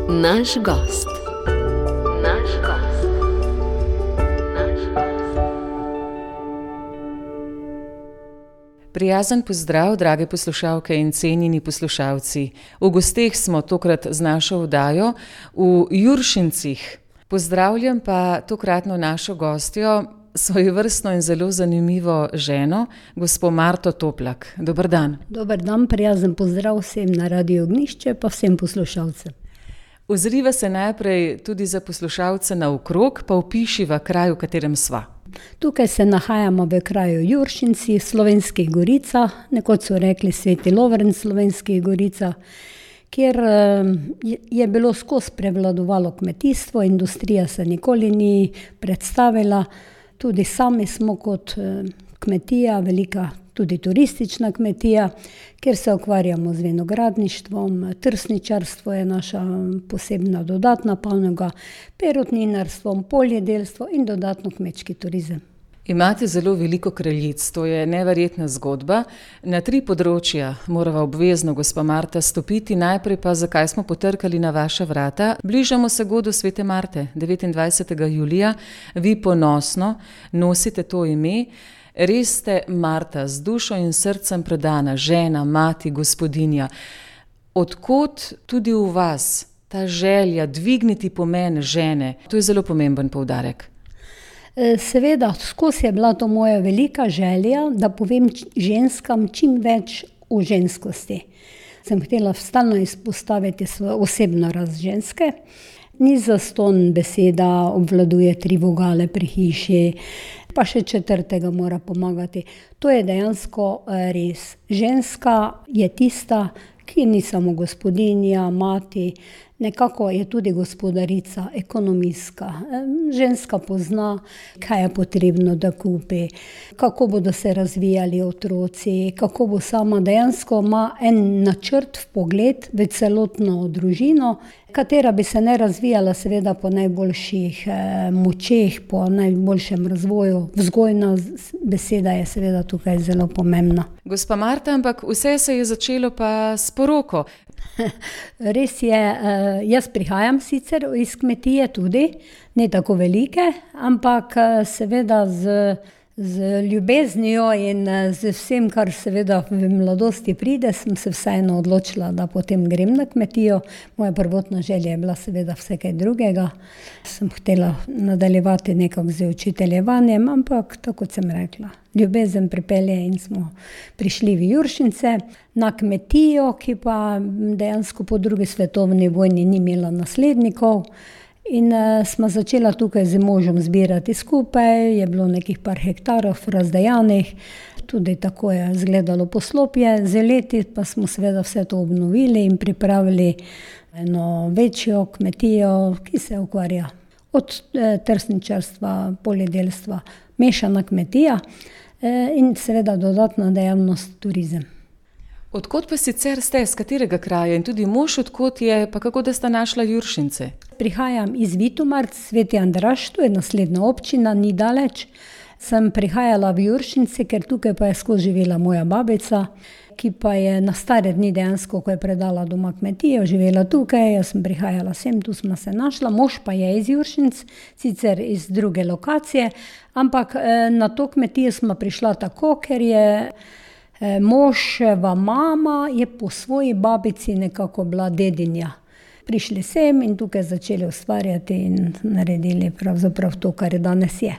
Naš gost. Prijazen pozdrav, drage poslušalke in cenjeni poslušalci. V gosteh smo tokrat z našo oddajo v Juršincih. Pozdravljam pa tokratno našo gostjo, svojevrstno in zelo zanimivo ženo, gospo Marto Toplak. Dober dan. Dober dan, prijazen pozdrav vsem na Radiu Ognjišče pa vsem poslušalcem. Ozriva se najprej tudi za poslušalce naokrog, pa opišiva kraj, v katerem sva. Tukaj se nahajamo v kraju Juršinci, Slovenskih Goricah, nekoč so rekli Sveti Lovrenc Slovenskih Goricah, kjer je bilo skozi prevladovalo kmetijstvo, industrija se nikoli ni predstavila. Tudi sami smo kot kmetija, velika tudi turistična kmetija, kjer se ukvarjamo z vinogradništvom, trsničarstvo je naša posebna dodatna panoga, perutninarstvom, poljedelstvo in dodatno kmečki turizem. Imate zelo veliko kraljic, to je neverjetna zgodba. Na 3 področja morava obvezno, gospa Marta, stopiti. Najprej pa, zakaj smo potrkali na vaša vrata. Bližamo se godu Svete Marte, 29. julija. Vi ponosno nosite to ime. Res ste Marta, z dušo in srcem predana, žena, mati, gospodinja. Odkot tudi v vas ta želja dvigniti pomen žene? To je zelo pomemben poudarek. Seveda, skozi je bila to moja velika želja, da povem ženskam čim več o ženskosti. Sem htela stalno izpostaviti svojo osebno rast ženske. Ni zastonj beseda, obvladuje 3 vogale pri hiši, pa še 4. mora pomagati. To je dejansko res. Ženska je tista, ki ni samo gospodinja, mati, nekako je tudi gospodarica, ekonomistka. Ženska pozna, kaj je potrebno, da kupi, kako bodo se razvijali otroci, kako bo sama dejansko ima en načrt, vpogled v celotno družino, katera bi se ne razvijala seveda po najboljših močeh, po najboljšem razvoju. Vzgojna beseda je seveda tukaj zelo pomembna. Gospa Marta, ampak vse se je začelo pa s poroko. Res je, jaz prihajam sicer iz kmetije tudi, ne tako velike, ampak seveda z ljubeznijo in z vsem, kar seveda v mladosti pride, sem se vseeno odločila, da potem grem na kmetijo. Moja prvotna želja je bila seveda vse kaj drugega. Sem htela nadaljevati nekako z učiteljevanjem, ampak tako kot sem rekla, ljubezen pripelje in smo prišli v Juršince na kmetijo, ki pa dejansko po 2. svetovni vojni ni imela naslednikov. In smo začela tukaj z možem zbirati skupaj, je bilo nekih par hektarov razdejanih, tudi tako je izgledalo poslopje. Z leti pa smo seveda vse to obnovili in pripravili eno večjo kmetijo, ki se ukvarja od trsničarstva, poljedelstva, mešana kmetija in seveda dodatna dejavnost turizem. Odkot pa sicer ste, z katerega kraja in tudi mož odkot je, pa kako da sta našla Juršince? Prihajam iz Vitumarc, Sveti Andraž, to je naslednja občina, ni daleč. Sem prihajala v Juršince, ker tukaj pa je skozi živela moja babica, ki pa je na stare dni dejansko, ko je predala doma kmetijo, živela tukaj, jaz sem prihajala sem, tu smo se našla. Mož pa je iz Juršinc, sicer iz druge lokacije, ampak na to kmetijo smo prišla tako, ker je moževa mama je po svoji babici nekako bila dedinja. Prišli sem in tukaj začeli ustvarjati in naredili pravzaprav to, kar je danes je.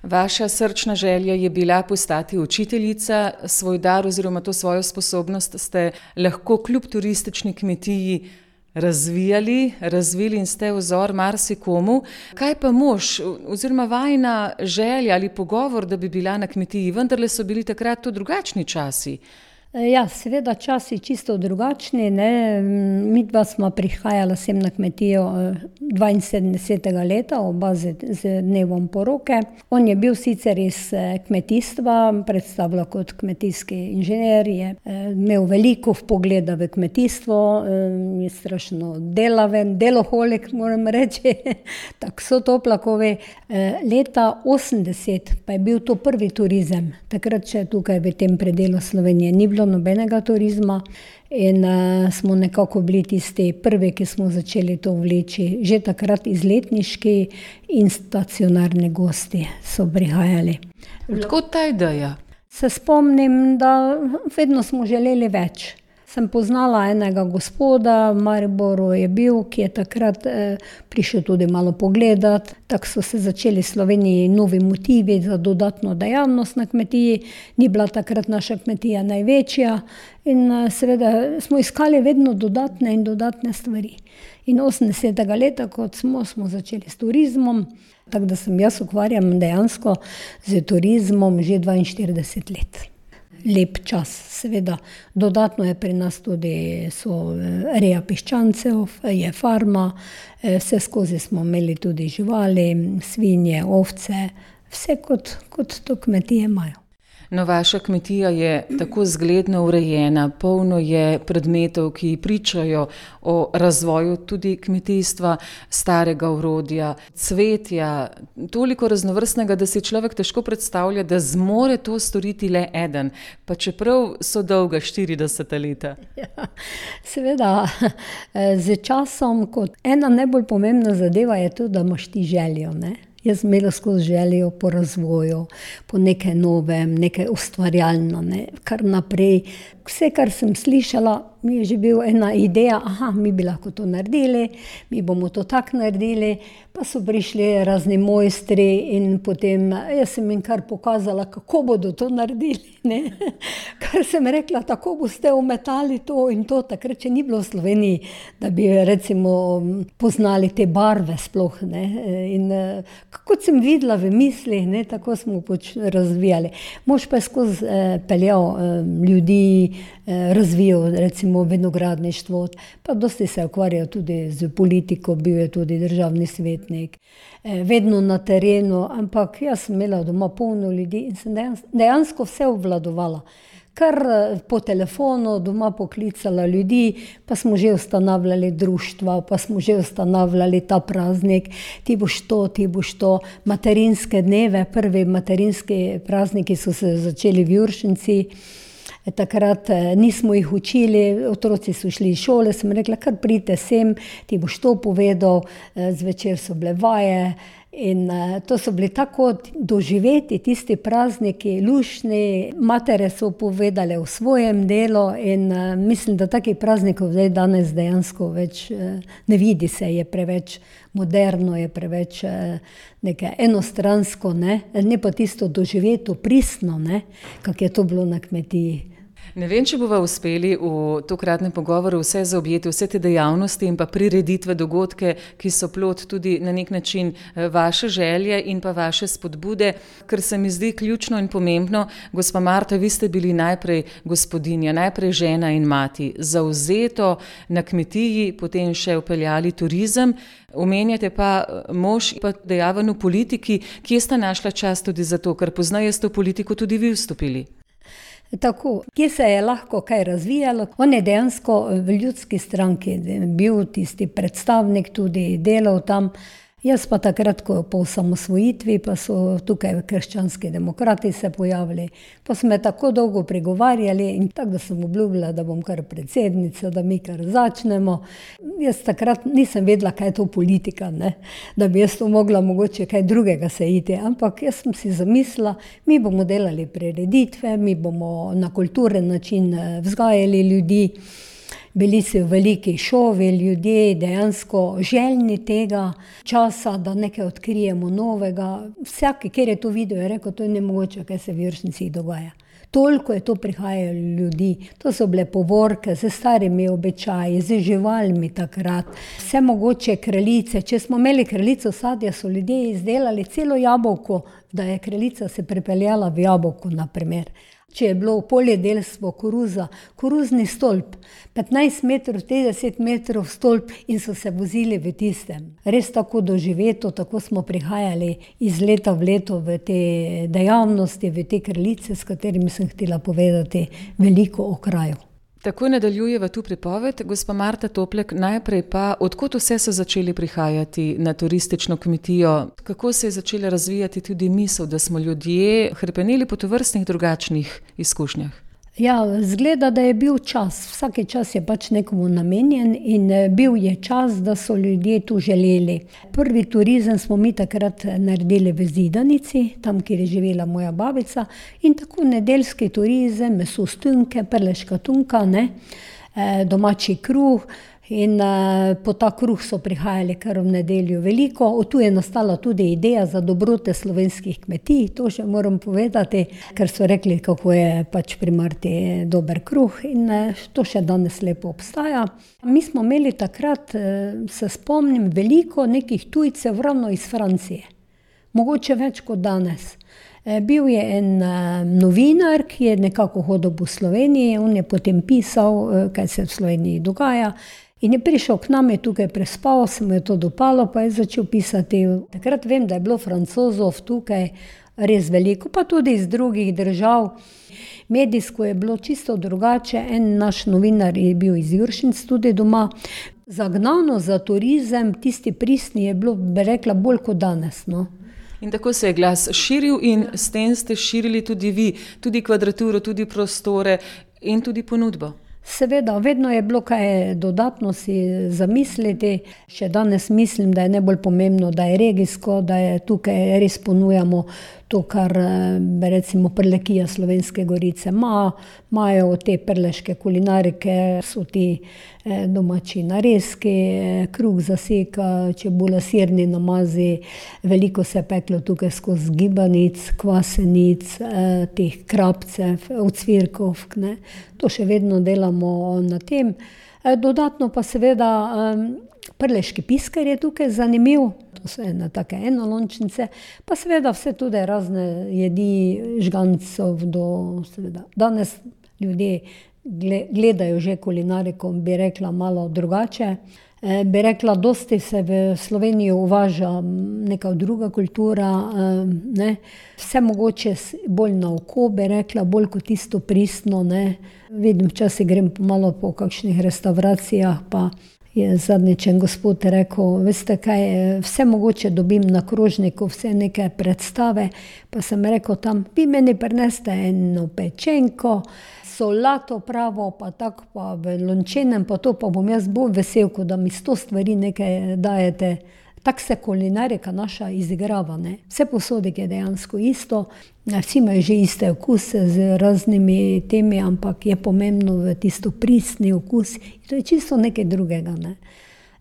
Vaša srčna želja je bila postati učiteljica, svoj dar oziroma to svojo sposobnost ste lahko kljub turistični kmetiji razvili in ste vzor marsikomu. Kaj pa mož oziroma vajina želja ali pogovor, da bi bila na kmetiji? Vendarle so bili takrat to drugačni časi. Ja, seveda časi čisto drugačni, ne. Midva smo prihajala sem na kmetijo 72. leta, oba z dnevom poroke. On je bil sicer iz kmetijstva, predstavljal kot kmetijski inženir, je imel veliko vpogleda v kmetijstvo, je strašno delaven, deloholik, moram reči, tako so Toplakovi. Leta 80 pa je bil to prvi turizem, takrat še tukaj v tem predelu Slovenije ni bilo bilo nobenega turizma in smo nekako bili tisti prvi, ki smo začeli to vleči. Že takrat izletniški in stacionarni gosti so prihajali. Odkot ta ideja? Se spomnim, da vedno smo želeli več. Sem poznala enega gospoda, v Mariboru je bil, ki je takrat prišel tudi malo pogledati. Tako so se začeli v Sloveniji novi motivi za dodatno dejavnost na kmetiji. Ni bila takrat naša kmetija največja in seveda smo iskali vedno dodatne in dodatne stvari. In 80. leta, kot smo začeli s turizmom, tako da sem jaz ukvarjam dejansko z turizmom že 42 let. Lep čas, seveda. Dodatno je pri nas tudi reja piščancev, je farma, vse skozi smo imeli tudi živali, svinje, ovce, vse kot to kmetije imajo. No, vaša kmetija je tako zgledno urejena, polno je predmetov, ki pričajo o razvoju tudi kmetijstva, starega orodja, cvetja, toliko raznovrstnega, da si človek težko predstavlja, da zmore to storiti le eden, pa čeprav so dolga 40 leta. Ja, seveda, z časom, kot ena najbolj pomembna zadeva je to, da imaš ti željo, ne? Jaz sem imela skozi željo po razvoju, po nekaj novem, nekaj ustvarjalno, ne? Kar naprej. Vse, kar sem slišala, mi je že bila ena ideja, mi bi lahko to naredili, mi bomo to tako naredili, pa so prišli razni mojstri in potem jaz sem jim kar pokazala, kako bodo to naredili, ne? Kar sem rekla, tako boste umetali to in to, takrat, če ni bilo v Sloveniji, da bi recimo poznali te barve sploh, ne? In kot sem videla v mislih, ne, tako smo razvijali. Mož pa je skozi peljal ljudi, razvijal recimo vinogradništvo, pa dosti se ukvarjal tudi z politiko, bil je tudi državni svetnik, vedno na terenu, ampak jaz sem imela doma polno ljudi in sem dejansko vse obvladovala. Kar po telefonu doma poklicala ljudi, pa smo že ustanavljali društva, pa smo že ustanavljali ta praznik, ti boš to, materinske dneve, prvi materinski prazniki so se začeli v Juršnici. Takrat nismo jih učili, otroci so šli iz šole, sem rekla, kar pridite sem, ti boš to povedal, zvečer so bile vaje in to so bili tako doživeti tisti prazniki, luštni, matere so povedale o svojem delu in mislim, da takih praznikov zdaj danes dejansko več ne vidi se, je preveč moderno, je preveč nekaj enostransko, ne pa tisto doživeto pristno, kak je to bilo na kmetiji. Ne vem, če bova uspeli v tokratnem pogovoru vse zaobjeti, vse te dejavnosti in pa prireditve, dogodke, ki so plod tudi na nek način vaše želje in pa vaše spodbude, ker se mi zdi ključno in pomembno. Gospa Marta, vi ste bili najprej gospodinja, najprej žena in mati, zavzeto na kmetiji, potem še vpeljali turizem. Omenjate pa mož pa dejaven v politiki, kje sta našla čas tudi za to, ker poznaje ste v politiko tudi vi vstopili. Tako, kje se je lahko kaj razvijalo. On je dejansko v Ljudski stranki bil tisti predstavnik, tudi delal tam. Jaz pa takrat, ko po osamosvojitvi, pa so tukaj krščanski demokrati se pojavili, pa smo me tako dolgo pregovarjali in tako, da sem obljubila, da bom kar predsednica, da mi kar začnemo. Jaz takrat nisem vedela, kaj je to politika, ne? Da bi jaz to mogla mogoče kaj drugega se iti, ampak jaz sem si zamislila, mi bomo delali prireditve, mi bomo na kulturen način vzgajali ljudi. Bili so veliki šovi, ljudje dejansko željni tega časa, da nekaj odkrijemo novega. Vsak, kjer je to videl, je rekel, to je nemogoče, kaj se v Juršnici dogaja. Toliko je to prihajalo ljudi, to so bile povorke z starimi običaji, z živalmi takrat, vse mogoče kraljice. Če smo imeli kraljico sadja, so ljudje izdelali celo jabolko, da je kraljica se pripeljala v jabolko, na primer. Če je bilo poljedelstvo koruza, koruzni stolp, 15 metrov, 30 metrov stolp in so se vozili v tistem. Res tako doživeto, tako smo prihajali iz leta v leto v te dejavnosti, v te kraljice, s katerimi sem htela povedati veliko o kraju. Tako nadaljujeva tu pripoved. Gospa Marta Toplek, najprej pa, odkot vse so začeli prihajati na turistično kmetijo? Kako se je začela razvijati tudi misel, da smo ljudje hrepeneli po tovrstnih drugačnih izkušnjah? Ja, zgleda, da je bil čas. Vsaki čas je pač nekomu namenjen in bil je čas, da so ljudje tu želeli. Prvi turizem smo mi takrat naredili v Zidanici, tam, kjer je živela moja babica, in tako nedeljski turizem, meso stunke, prleška tunka, domači kruh. In po ta kruh so prihajali kar v nedeljo veliko. Tu je nastala tudi ideja za dobrote slovenskih kmetij, to še moram povedati, ker so rekli, kako je pač pri Marti dober kruh in to še danes lepo obstaja. Mi smo imeli takrat, se spomnim, veliko nekih tujcev ravno iz Francije, mogoče več kot danes. Bil je en novinar, ki je nekako hodil po Sloveniji, on je potem pisal, kaj se v Sloveniji dogaja. In je prišel k nam, je tukaj prespal, se mu je to dopalo, pa je začel pisati. Takrat vem, da je bilo Francozov tukaj res veliko, pa tudi iz drugih držav. Medijsko je bilo čisto drugače, en naš novinar je bil iz Juršnic tudi doma. Zagnano za turizem, tisti pristni je bilo, bi rekla, bolj kot danes, no. In tako se je glas širil in s tem ste širili tudi vi, tudi kvadraturo, tudi prostore in tudi ponudbo. Seveda, vedno je bilo kaj dodatno si zamisliti. Še danes mislim, da je najbolj pomembno, da je regijsko, da je tukaj res ponujamo to, kar recimo Prlekija Slovenske Gorice imajo te prleške kulinarike, so ti domači narezki, kruh zaseka, čebula, sirni namazi, veliko se je peklo tukaj skozi gibanic, kvasenic, teh krapcev, ocvirkov, To še vedno delamo na tem. Dodatno pa seveda prleški pisker je tukaj zanimiv, to so ene take enolončnice, pa seveda vse tudi razne jedi žgancov seveda. Danes ljudje gledajo že kulinariko, bi rekla, malo drugače. Bi rekla, dosti se v Slovenijo uvaža neka druga kultura, Vse mogoče bolj na oko, bi rekla, bolj kot tisto pristno, Vidim, včasih grem malo po kakšnih restauracijah, pa je zadnjič en gospod rekel, veste kaj, vse mogoče dobim na krožniku, vse neke predstave, pa sem rekel tam, vi meni prineste eno pečenko, solato pravo, pa tako pa v lončenem, pa to pa bom jaz bolj vesel, ko da mi 100 stvari nekaj dajete. Tako se kulinarika naša izigrava, Vse posodek je dejansko isto, vsi imajo že iste okuse z raznimi temi, ampak je pomembno v tisto pristni okus. To je čisto nekaj drugega,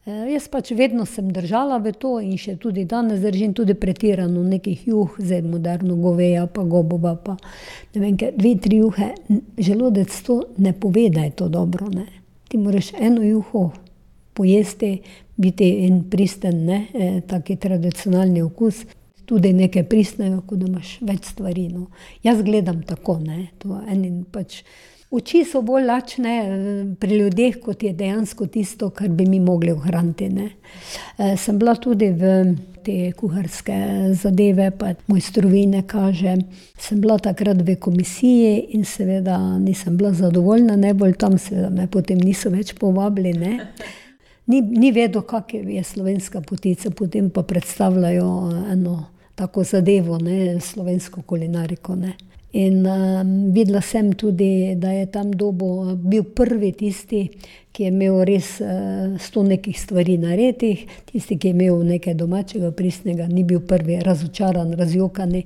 Jaz pač vedno sem držala v to in še tudi danes držim tudi pretirano nekih juh, zdaj moderno goveja, pa gobova, pa ne vem, 2-3 juhe. Želodec to ne pove, da je to dobro, Ti moraš eno juho pojesti, biti en pristen, taki tradicionalni okus, tudi nekaj pristnega, ko da imaš več stvari, Jaz gledam tako, to pač oči so bolj lačne pri ljudeh, kot je dejansko tisto, kar bi mi mogli ohraniti, Sem bila tudi v te kuharske zadeve, pa mojstrovine kaže. Sem bila takrat v komisiji in seveda nisem bila zadovoljna, najbolj tam seveda me potem niso več povabili, Ni vedel, kak je slovenska potica, potem pa predstavljajo eno tako zadevo, slovensko kulinariko, In videla sem tudi, da je tam bil prvi tisti, ki je imel res 100 nekih stvari naredih, tisti, ki je imel nekaj domačega, pristnega, ni bil prvi razočaran, razjokani.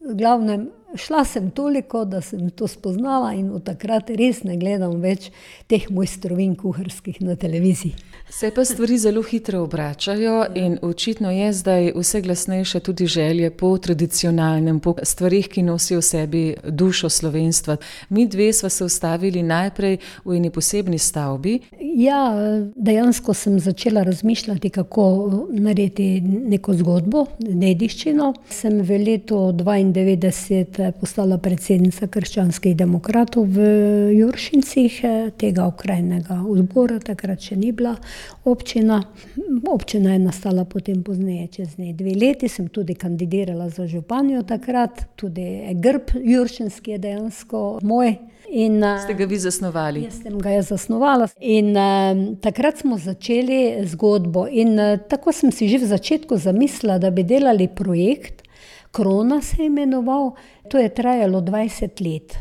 V glavnem, šla sem toliko, da sem to spoznala in od takrat res ne gledam več teh mojstrovin kuharskih na televiziji. Se pa stvari zelo hitro obračajo in očitno je zdaj vse glasnejše tudi želje po tradicionalnem, po stvarih, ki nosijo v sebi dušo slovenstva. Mi dve sva se ustavili najprej v eni posebni stavbi. Ja, dejansko sem začela razmišljati, kako narediti neko zgodbo, dediščino. Sem v letu 92 postala predsednica Krščanskih demokratov v Juršincih, tega okrajnega odbora, takrat še ni bila občina. Občina je nastala potem pozneje, čez 2 leti, sem tudi kandidirala za županjo takrat, tudi grb Juršinski je dejansko moj. Ste ga vi zasnovali? Jaz sem ga zasnovala in takrat smo začeli zgodbo in tako sem si že v začetku zamislila, da bi delali projekt, Krona se je imenoval, to je trajalo 20 let.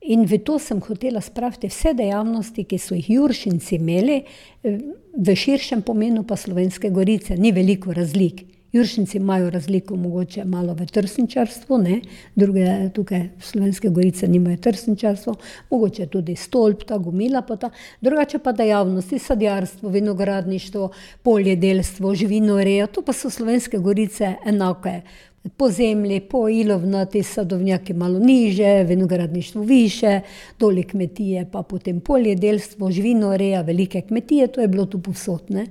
In v to sem hotela spraviti vse dejavnosti, ki so jih Juršinci imeli, v širšem pomenu pa Slovenske Gorice. Ni veliko razlik. Juršinci imajo razliko mogoče malo v trsničarstvu, ne? Druge tukaj Slovenske Gorice nimajo trsničarstvo, mogoče tudi stolp, ta gomila pa ta. Drugače pa dejavnosti, sadjarstvo, vinogradništvo, poljedelstvo, živinoreja, to pa so Slovenske Gorice enake. Po zemlji, po ilovnati, sadovnjaki malo niže, vinogradništvo više, doli kmetije, pa potem poljedelstvo, živinoreja, velike kmetije, to je bilo tu povsod, ne.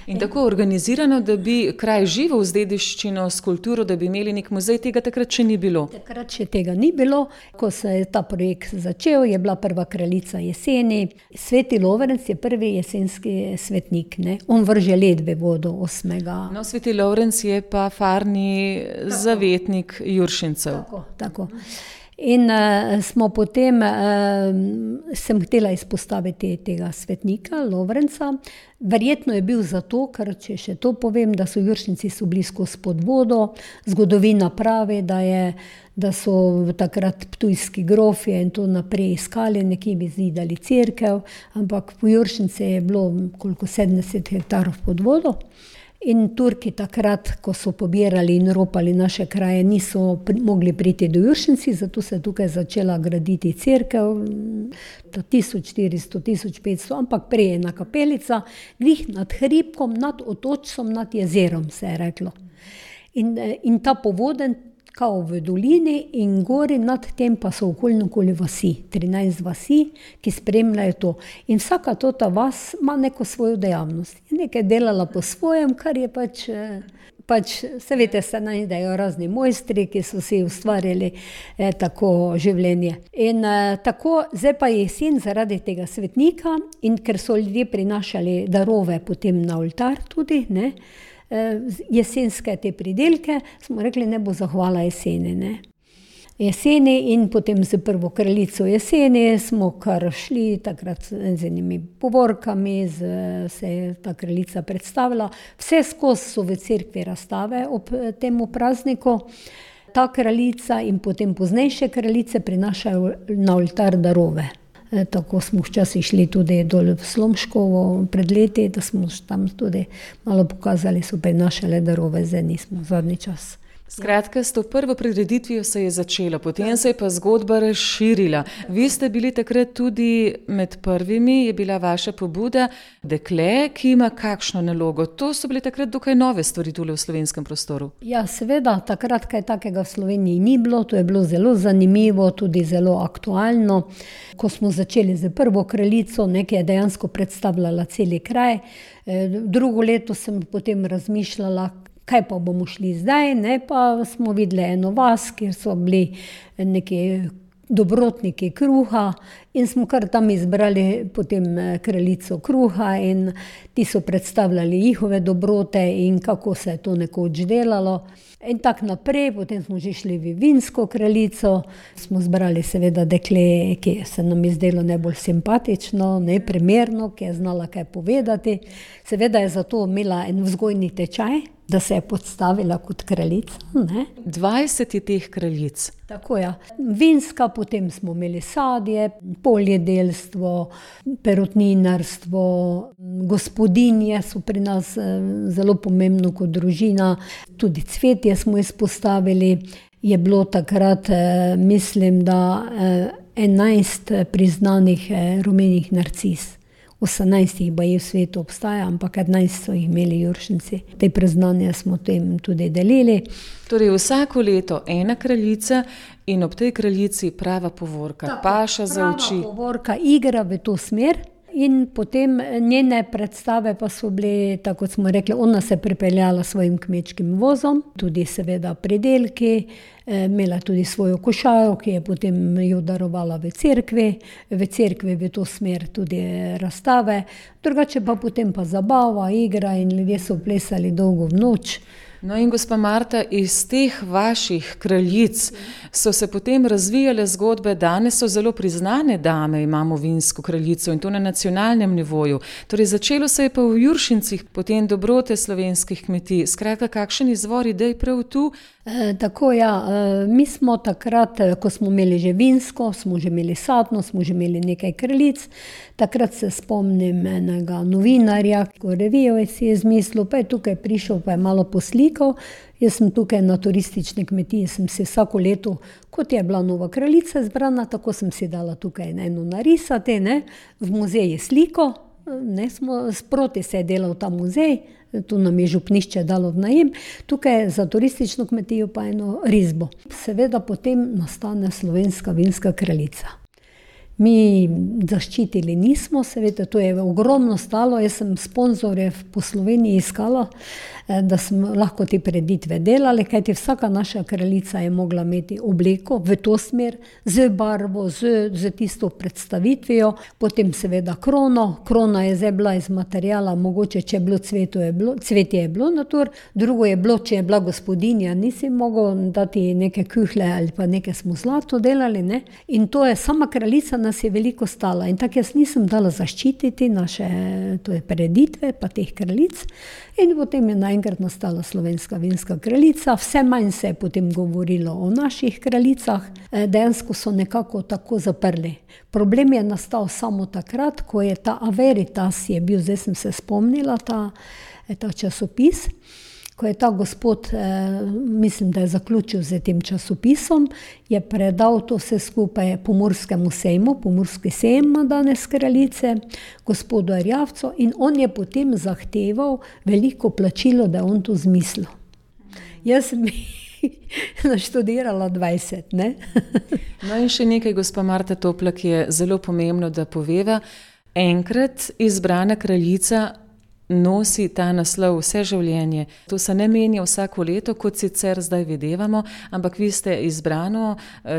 In tako organizirano, da bi kraj živel z dediščino, s kulturo, da bi imeli nek muzej, tega takrat še ni bilo. Takrat še tega ni bilo. Ko se je ta projekt začel, je bila prva kraljica jeseni. Sveti Lovrenc je prvi jesenski svetnik, ne. On vrže led v vodo 8. No, Sveti Lovrenc je pa farni zavetnik Juršincev. Tako. In smo potem, sem htela izpostaviti tega svetnika, Lovrenca. Verjetno je bil zato, ker če še to povem, da so Juršinci so blisko pod vodo. Zgodovina pravi, da so takrat ptujski grofje in to naprej iskali, nekje bi zidali cerkev, ampak po Juršince je bilo koliko 70 hektarov pod vodo. In Turki takrat, ko so pobirali in ropali naše kraje, niso mogli priti do Juršinci, zato se je tukaj začela graditi cerkev, 1400, 1500, ampak prej ena kapelica, glih nad hribkom, nad otočcem, nad jezerom, se je reklo. In ta povoden, kao v dolini in gori nad tem pa so okoli vasi, 13 vasi, ki spremljajo to. In vsaka ta vas ima neko svojo dejavnost. Je nekaj delala po svojem, kar je pač se veste, se najdejo razni mojstri, ki so si ustvarjali tako življenje. In tako, zdaj pa je jesen zaradi tega svetnika in ker so ljudje prinašali darove potem na oltar tudi, ne, jesenske te pridelke, smo rekli, ne bo zahvala jeseni, ne. Jeseni in potem z prvo kraljico jeseni smo kar šli takrat z enimi povorkami, se je ta kraljica predstavila. Vse skozi so v cerkvi razstave ob temu prazniku. Ta kraljica in potem poznejše kraljice prinašajo na oltar darove. Tako smo včasih šli tudi dol v Slomškovo pred leti, da smo tam tudi malo pokazali, so prinašale darove, zdaj nismo zadnji čas. Skratka, s to prvo prireditvijo se je začelo, potem se je pa zgodba razširila. Vi ste bili takrat tudi med prvimi, je bila vaša pobuda, dekle, ki ima kakšno nalogo. To so bile takrat dokaj nove stvari tule v slovenskem prostoru. Ja, seveda, takrat kaj takega v Sloveniji ni bilo, to je bilo zelo zanimivo, tudi zelo aktualno. Ko smo začeli z prvo kraljico, nekaj je dejansko predstavljala celi kraj. Drugo leto sem potem razmišljala, kaj pa bomo šli zdaj, ne, pa smo videli eno vas, kjer so bili neki dobrotniki kruha in smo kar tam izbrali potem kraljico kruha in ti so predstavljali njihove dobrote in kako se je to nekoč delalo. In tako naprej, potem smo že šli v vinsko kraljico, smo zbrali seveda dekle, ki se nam je zdelo najbolj simpatično, neprimerno, ki je znala kaj povedati. Seveda je zato imela en vzgojni tečaj, da se je podstavila kot kraljica, ne. 20 je teh kraljic. Tako, ja. Vinska, potem smo imeli sadje, poljedelstvo, perutninarstvo, gospodinje so pri nas zelo pomembno kot družina, tudi cvetje smo izpostavili. Je bilo takrat, mislim, da 11 priznanih rumenih narcis. 18 jih baje v svetu obstaja, ampak 11 so jih imeli Juršinci. Te priznanja smo tem tudi delili. Torej vsako leto ena kraljica in ob tej kraljici prava povorka, tako, paša za oči. Prava povorka igra v to smer in potem njene predstave pa so bile, tako kot smo rekli, ona se pripeljala svojim kmečkim vozom, tudi seveda pridelki, imela tudi svojo košaro, ki je potem jo darovala v cerkvi v to smer tudi razstave, drugače pa potem pa zabava, igra in ljudje so plesali dolgo v noč. No in gospa Marta, iz teh vaših kraljic so se potem razvijale zgodbe, danes so zelo priznane dame, imamo vinsko kraljico in to na nacionalnem nivoju. Torej začelo se je pa v Juršincih, potem dobrote slovenskih kmetij. Skratka, kakšen izvor idej prav tu? Tako mi smo takrat, ko smo imeli že vinsko, smo že imeli sadno, smo že imeli nekaj kraljic. Takrat se spomnim enega novinarja, ko revijo si je izmislil, pa je tukaj prišel, pa je malo poslikal. Jaz sem tukaj na turistični kmetiji, sem si vsako leto, kot je bila nova kraljica izbrana, tako sem si dala tukaj eno narisati, v muzeji sliko, sproti se je delal ta muzej, tu nam je župnišče dalo v najem, tukaj za turistično kmetijo pa eno risbo. Seveda potem nastane slovenska vinska kraljica. Mi zaščitili nismo, seveda to je ogromno stalo, jaz sem sponzorje po Sloveniji iskala, da smo lahko te prireditve delali, kajti vsaka naša kraljica je mogla imeti obleko v to smer, z barvo, z tisto predstavitvijo, potem seveda krono. Krona je zdaj bila iz materijala, mogoče če je bilo cvetje je bilo natur, drugo je bilo, če je bila gospodinja, nisi mogel dati neke kuhle ali pa neke smo zlato delali, in to je sama kraljica nas je veliko stala in tako jaz nisem dala zaščititi naše prireditve pa teh kraljic in potem je naenkrat nastala slovenska vinska kraljica, vse manj se je potem govorilo o naših kraljicah, dejansko so nekako tako zaprli. Problem je nastal samo takrat, ko je ta Averitas je bil, zdaj sem se spomnila, ta časopis, ko je ta gospod, mislim, da je zaključil z tem časopisom, je predal to vse skupaj Pomurskemu sejmu, Pomurski sejem ima danes kraljice, gospodu Erjavcu in on je potem zahteval veliko plačilo, da je on to zmislil. Jaz sem naštudirala 20, No in še nekaj, gospa Marta Toplak, je zelo pomembno, da poveva. Enkrat izbrana kraljica nosi ta naslov vse življenje. To se ne menja vsako leto, kot sicer zdaj videvamo, ampak vi ste izbrano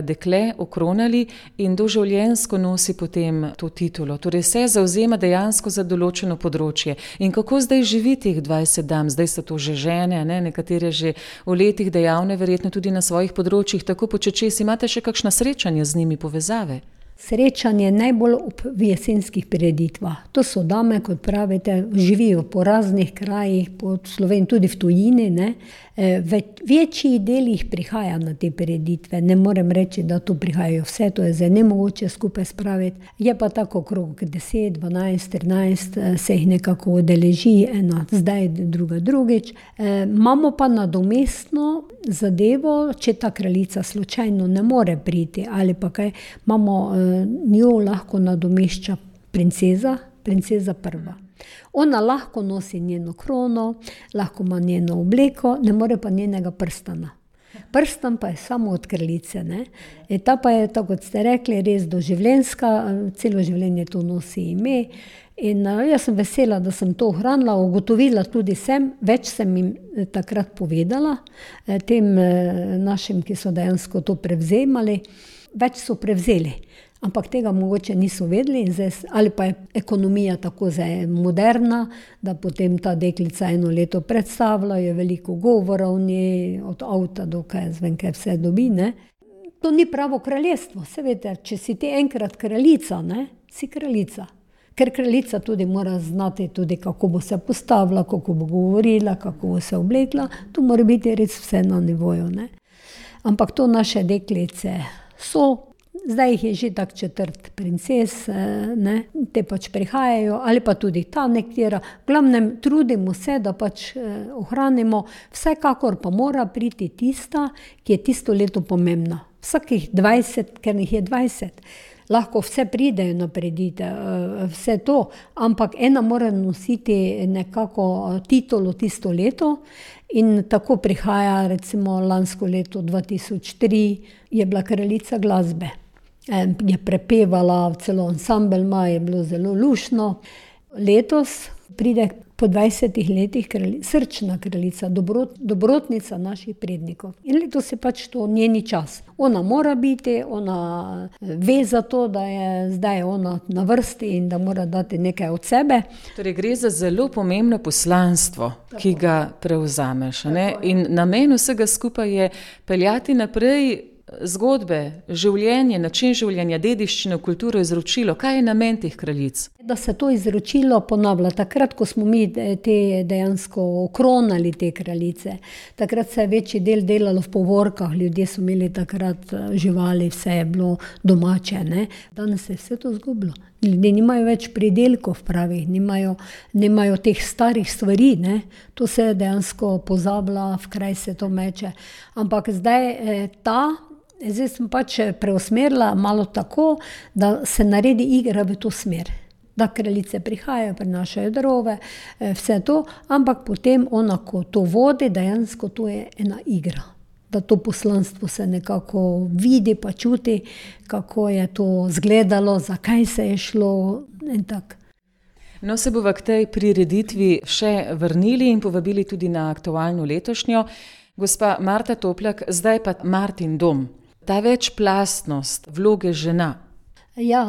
dekle okronali in doživljenjsko nosi potem to titulo. Torej se zavzema dejansko za določeno področje. In kako zdaj živi teh 20 dam? Zdaj so to že žene, nekatere že v letih dejavne, verjetno tudi na svojih področjih, tako počečesi. Imate še kakšna srečanja z njimi, povezave? Srečanje najbolj v jesenskih prireditvah. To so dame, kot pravite, živijo po raznih krajih, po Sloveniji, tudi v tujini, večji del jih prihaja na te prireditve. Ne morem reči, da tu prihajajo vse, to je zdaj nemogoče skupaj spraviti. Je pa tako okrog 10, 12, 13 se jih nekako udeleži, ena zdaj, druga drugič. Imamo pa nadomestno zadevo, če ta kraljica slučajno ne more priti ali pa kaj, imamo njo lahko nadomešča princeza prva. Ona lahko nosi njeno krono, lahko ima njeno obleko, ne more pa njenega prstana. Prstan pa je samo od kraljice. Ta pa je, tako kot ste rekli, res doživljenjska, celo življenje to nosi ime. In jaz sem vesela, da sem to ohranila, ugotovila tudi več sem jim takrat povedala, tem našim, ki so dejansko to prevzemali, več so prevzeli. Ampak tega mogoče niso vedeli, ali pa je ekonomija tako zdaj moderna, da potem ta deklica eno leto predstavlja, je veliko govora o njej, od avta do kaj vse dobi. To ni pravo kraljestvo, seveda, če si ti enkrat kraljica, si kraljica. Ker kraljica tudi mora znati, tudi kako bo se postavila, kako bo govorila, kako bo se oblekla, to mora biti res vse na nivoju. Ampak to naše deklice so. Zdaj jih je že tak četrt princes, te pač prihajajo, ali pa tudi ta nekatera. V glavnem trudimo se, da pač ohranimo, vsekakor pa mora priti tista, ki je tisto leto pomembna. Vsakih 20, ker jih je 20. Lahko vse pridejo na prireditev, vse to, ampak ena mora nositi nekako titulo tisto leto in tako prihaja, recimo lansko leto 2003 je bila kraljica glasbe. Je prepevala, celo ansambel ima, je bilo zelo luštno. Letos pride po 20 letih srčna kraljica, dobrotnica naših prednikov. In letos je pač to njeni čas. Ona mora biti, ona ve za to, da je zdaj ona na vrsti in da mora dati nekaj od sebe. Torej gre za zelo pomembno poslanstvo, ki ga prevzameš. Ne? In namen vsega skupaj je peljati naprej zgodbe, življenje, način življenja, dediščino, kulturo, izročilo. Kaj je namen teh kraljic? Da se to izročilo ponavlja. Takrat, ko smo mi te dejansko okronali te kraljice, takrat se je večji del delalo v povorkah, ljudje so imeli takrat živali, vse je bilo domače. Ne? Danes se je vse to izgubilo. Ljudje nimajo več pridelkov pravih, nimajo teh starih stvari. Ne? To se dejansko pozablja, v kraj se to meče. Ampak zdaj sem pač preusmerila malo tako, da se naredi igra v to smer. Da kraljice prihajajo, prinašajo darove, vse to, ampak potem ona, ko to vodi, dejansko to je ena igra. Da to poslanstvo se nekako vidi pa čuti, kako je to izgledalo, zakaj se je šlo in tako. No, se bova k tej prireditvi še vrnili in povabili tudi na aktualno letošnjo. Gospa Marta Toplak, zdaj pa Martin dom. Ta večplastnost vloge žena. Ja,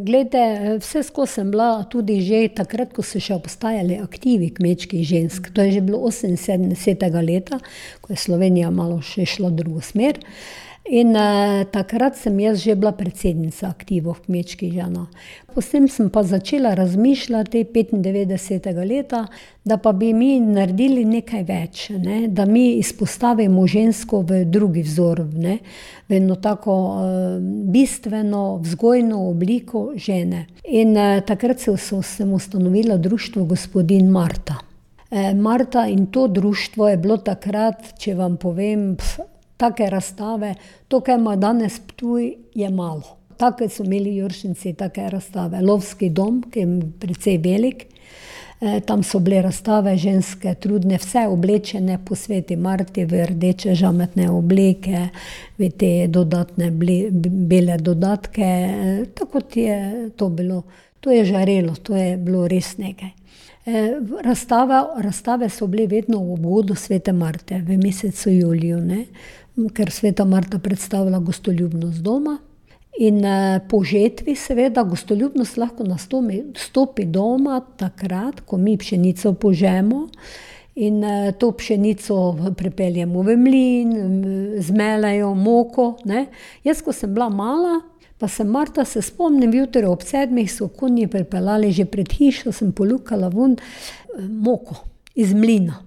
glejte, vse skozi sem bila tudi že takrat, ko so še obstajali aktivi kmečkih žensk. To je že bilo 78. leta, ko je Slovenija malo še šla v drugo smer. In takrat sem jaz že bila predsednica aktivov kmečkih žena. Potem sem pa začela razmišljati 95. leta, da pa bi mi naredili nekaj več, ne? Da mi izpostavimo žensko v drugi vzor, ne? V eno tako bistveno, vzgojno obliko žene. In takrat sem ustanovila društvo Gospodin Marta. Marta in to društvo je bilo takrat, če vam povem, take razstave, to, kaj ima danes Ptuj, je malo. Take so imeli Juršinci, take razstave. Lovski dom, ki je precej velik, tam so bile razstave ženske, trudne, vse oblečene po sveti Marti v rdeče žametne obleke, v te dodatne bele dodatke, tako je to bilo. To je žarelo, to je bilo res nekaj. Razstave so bile vedno v obvodu svete Marte, v mesecu juliju, ne? Ker sveta Marta predstavlja gostoljubnost doma. In po žetvi seveda gostoljubnost lahko nastopi doma takrat, ko mi pšenico požemo in to pšenico pripeljemo v mlin, zmelejo moko. Ne? Jaz, ko sem bila mala, pa sem Marta, se spomnim, jutri ob 7 so konji pripeljali že pred hišo, sem polukala ven moko iz mlina.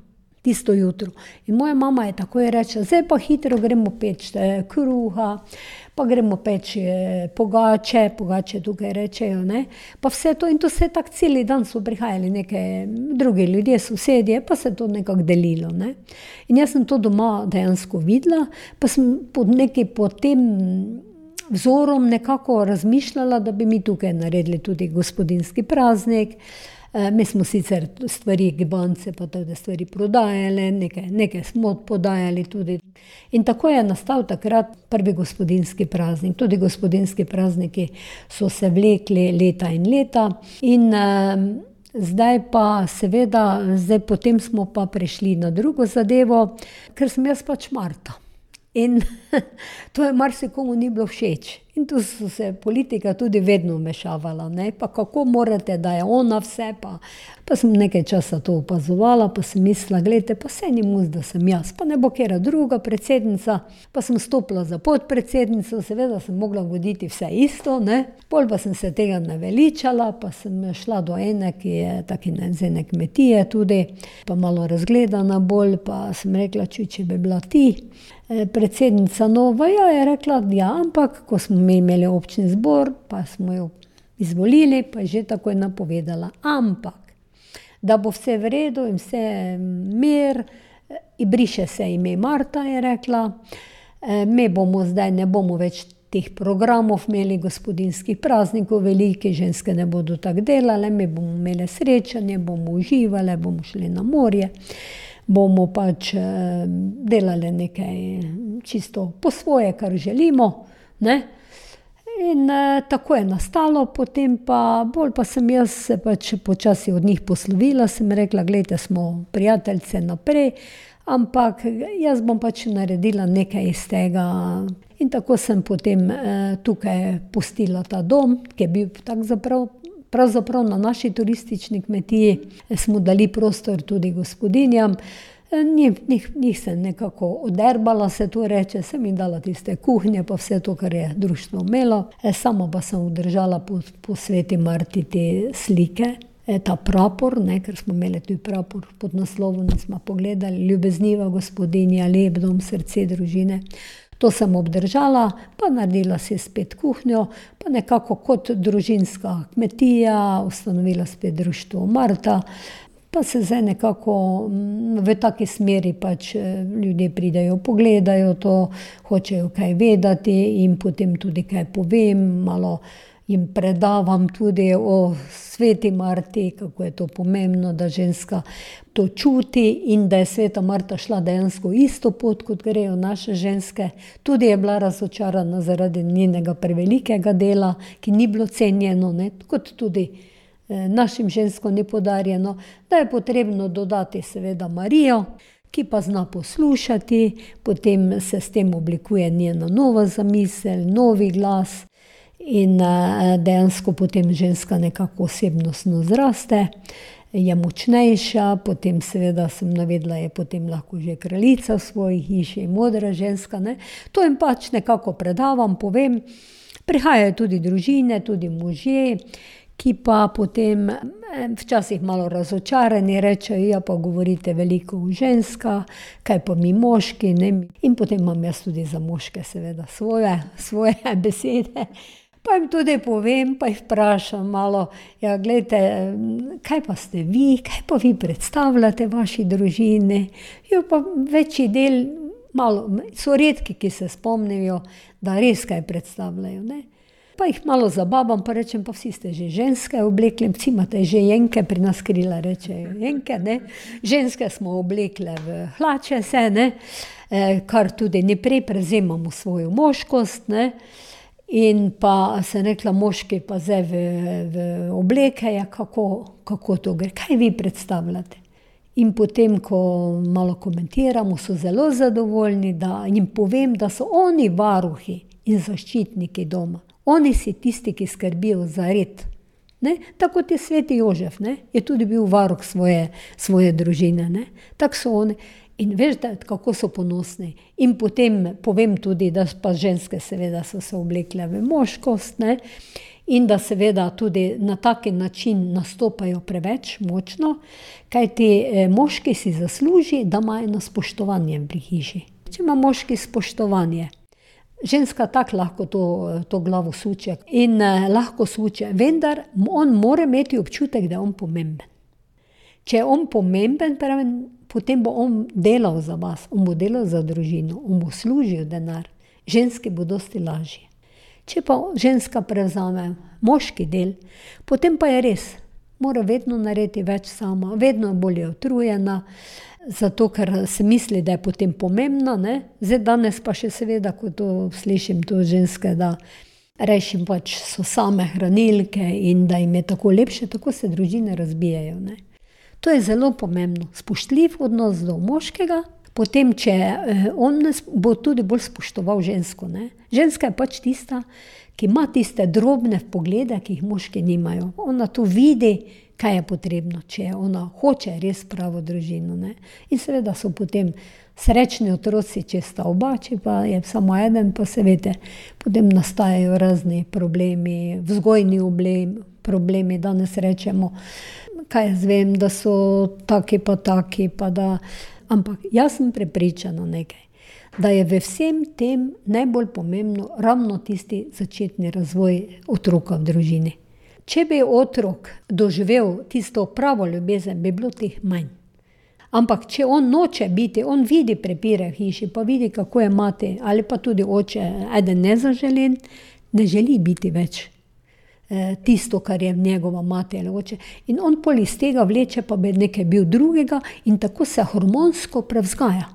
Tisto jutro. In moja mama je takoj rekla, zdaj pa hitro gremo peč kruha, pa gremo peč pogače tukaj rečejo, ne. Pa vse to in to se tak celi dan so prihajali neke drugi ljudje, sosedje, pa se to nekako delilo, ne. In jaz sem to doma dejansko videla, pa sem pod tem vzorom nekako razmišljala, da bi mi tukaj naredili tudi gospodinjski praznik. Mi smo sicer stvari, gibance, pa tudi stvari prodajali, nekaj smo podajali tudi. In tako je nastal takrat prvi gospodinjski praznik. Tudi gospodinjski prazniki so se vlekli leta in leta. In zdaj pa seveda, potem smo pa prešli na drugo zadevo, ker sem jaz pač Marta. In to je marsikomu ni bilo všeč. In tu so se politika tudi vedno vmešavala, ne, pa kako morate, da je ona vse, pa sem nekaj časa to opazovala, pa sem mislila, gledajte, pa saj ni mus, da sem jaz, pa ne bo kera druga predsednica, pa sem stopila za podpredsednico, seveda sem mogla voditi vse isto, ne, pol pa sem se tega naveličala, pa sem šla do ene, ki je taki z ene kmetije tudi, pa malo razgledana bolj, pa sem rekla, če bi bila ti predsednica nova, je rekla, ja, ampak ko smo mi imeli občni zbor, pa smo jo izvolili, pa je že takoj napovedala. Ampak, da bo vse v redu in vse mir, in briše se ime Marta, je rekla, mi bomo zdaj, ne bomo več teh programov imeli, gospodinjskih praznikov, velike ženske ne bodo tako delale, mi bomo imeli srečanje, bomo uživali, bomo šli na morje, bomo pač delali nekaj čisto po svoje, kar želimo, ne? In tako je nastalo, potem pa bolj pa sem jaz se pač počasi od njih poslovila, sem rekla, glejte, smo prijateljice naprej, ampak jaz bom pač naredila nekaj iz tega. In tako sem potem tukaj pustila ta dom, ki je bil pravzaprav na naši turistični kmetiji, smo dali prostor tudi gospodinjam. Njih sem nekako oderbala, se to reče, sem jim dala tiste kuhnje, pa vse to, kar je društvo imelo. Sama pa sem obdržala po Sveti Marti te slike, ta prapor, ker smo imeli tudi prapor pod naslovom, smo pogledali, ljubezniva gospodinja, lep dom, srce družine. To sem obdržala, pa naredila si spet kuhnjo, pa nekako kot družinska kmetija, ustanovila spet društvo Marta, pa se zdaj nekako v taki smeri pač ljudje pridejo, pogledajo to, hočejo kaj vedeti in potem tudi kaj povem, malo jim predavam tudi o Sveti Marti, kako je to pomembno, da ženska to čuti in da je Sveta Marta šla dejansko isto pot, kot grejo naše ženske. Tudi je bila razočarana zaradi njenega prevelikega dela, ki ni bilo cenjeno, kot tudi našim ženskom ni podarjeno, da je potrebno dodati seveda Marijo, ki pa zna poslušati, potem se s tem oblikuje njena nova zamisel, novi glas in dejansko potem ženska nekako osebnostno zraste, je močnejša, potem seveda sem navedla, je potem lahko že kraljica v svoji hiši, modra ženska. To jim pač nekako predavam, povem. Prihajajo tudi družine, tudi možje, ki pa potem včasih malo razočarani rečejo, ja pa govorite veliko o ženskah, kaj pa mi moški, In potem imam jaz tudi za moške seveda svoje besede. Pa jim tudi povem, pa jih vprašam malo, ja gledajte, kaj pa ste vi, kaj pa vi predstavljate vaši družini? Jo pa večji del, malo, so redki, ki se spomnijo, da res kaj predstavljajo, Pa jih malo zabavam, pa rečem, pa vsi ste že ženske oblekli, vsi imate že jenke, pri nas krila rečejo jenke, Ženske smo oblekle v hlače se, kar tudi naprej prevzemamo svojo moškost, In pa sem rekla, moški pa zdaj v obleke, kako to gre, kaj vi predstavljate? In potem, ko malo komentiramo, so zelo zadovoljni, da jim povem, da so oni varuhi in zaščitniki doma. Oni si tisti, ki skrbijo za red. Tako kot je Sveti Jožef, je tudi bil varuh svoje družine. Tako so oni. In veš, kako so ponosni. In potem povem tudi, da pa ženske seveda so se oblekle v moškost, in da seveda tudi na taki način nastopajo preveč močno, kajti moški si zasluži, da ima eno spoštovanje pri hiši. Če ima moški spoštovanje, ženska tako lahko to glavo suče in lahko suče, vendar on mora imeti občutek, da je on pomemben. Če je on pomemben, potem bo on delal za vas, on bo delal za družino, on bo služil denar. Ženski bo dosti lažje. Če pa ženska prevzame moški del, potem pa je res, mora vedno narediti več sama, vedno bolj je utrujena, zato ker se misli, da je potem pomembna. Zdaj danes pa še seveda, ko to slišim, to ženske, da rešim pač so same hranilke in da jim je tako lepše, tako se družine razbijajo. To je zelo pomembno, spoštljiv odnos do moškega, potem če on bo tudi bolj spoštoval žensko. Ženska je pač tista, ki ima tiste drobne poglede, ki jih moški nimajo. Ona tu vidi, kaj je potrebno, če ona hoče res pravo družino. In seveda so potem srečni otroci, če sta oba, če pa je samo eden, pa se veste, potem nastajajo razni problemi, vzgojni problemi, danes rečemo, kaj jaz vem, da so taki pa taki, pa da, ampak jaz sem prepričana nekaj, da je v vsem tem najbolj pomembno ravno tisti začetni razvoj otroka v družini. Če bi otrok doživel tisto pravo ljubezen, bi bilo teh manj. Ampak če on noče biti, on vidi prepire v hiši, pa vidi, kako je mati, ali pa tudi oče, eden nezaželen, ne želi biti več tisto, kar je njegova mati ali oče. In on pol iz tega vleče, pa bi nekaj bil drugega in tako se hormonsko prevzgaja.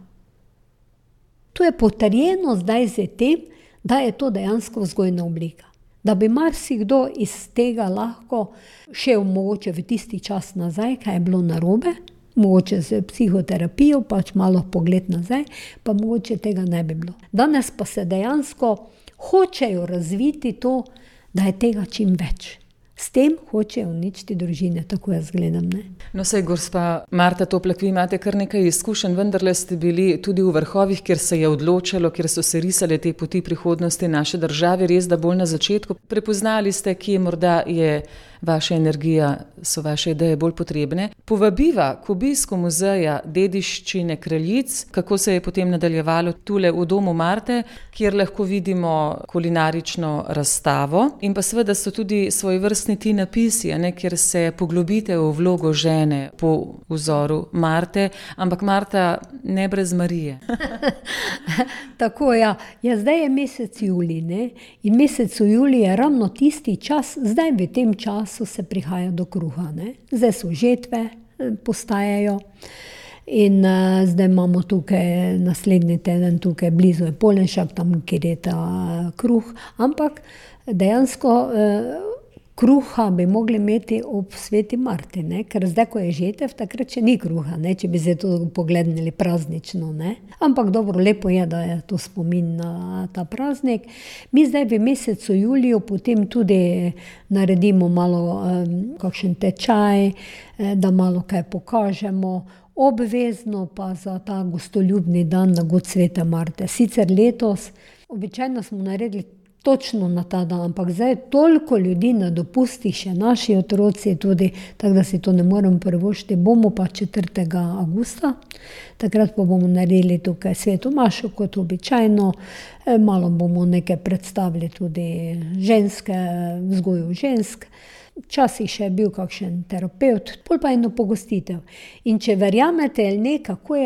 To je potrjeno zdaj z tem, da je to dejansko vzgojna oblika. Da bi marsikdo iz tega lahko šel mogoče v tisti čas nazaj, kaj je bilo narobe, mogoče z psihoterapijo, pač malo pogled nazaj, pa mogoče tega ne bi bilo. Danes pa se dejansko hočejo razviti to, da je tega čim več. S tem hočejo uničiti družine, tako jaz gledam, ne. No, saj, gospa Marta Toplak, vi imate kar nekaj izkušenj, vendarle ste bili tudi v vrhovih, kjer se je odločalo, kjer so se risale te poti prihodnosti naše države, res da bolj na začetku. Prepoznali ste, kje morda je vaša energija, so vaše ideje bolj potrebne. Povabiva k obisku muzeja dediščine kraljic, kako se je potem nadaljevalo tule v domu Marte, kjer lahko vidimo kulinarično razstavo in pa seveda so tudi svojevrstni ti napisi, kjer se poglobite v vlogo žene po vzoru Marte, ampak Marta ne brez Marije. Tako, ja. Ja, zdaj je mesec julij, ne? In mesec julij je ravno tisti čas, zdaj v tem času se prihaja do kruha, ne? Zdaj so žetve, postajajo in zdaj imamo tukaj naslednji teden, tukaj blizu je Polenšak, tam kjer je ta kruh, ampak dejansko kruha bi mogli imeti ob sveti Marti, ne? Ker zdaj, ko je žetev, takrat še ni kruha, ne? Če bi se to pogledali praznično, ne? Ampak dobro, lepo je, da je to spomin na ta praznik. Mi zdaj v mesecu juliju potem tudi naredimo malo kakšen tečaj, da malo kaj pokažemo, obvezno pa za ta gostoljubni dan na god svete Marte. Sicer letos, običajno smo naredili točno na ta dan, ampak zdaj toliko ljudi na dopustih, še naši otroci tudi, tako da si to ne moremo privoščiti. Bomo pa 4. avgusta, takrat pa bomo naredili tukaj sveto mašo kot običajno, malo bomo nekaj predstavili tudi ženske, vzgoju žensk. Včasih še je bil kakšen terapevt, pol pa eno pogostitev. In če verjamete ali ne, kako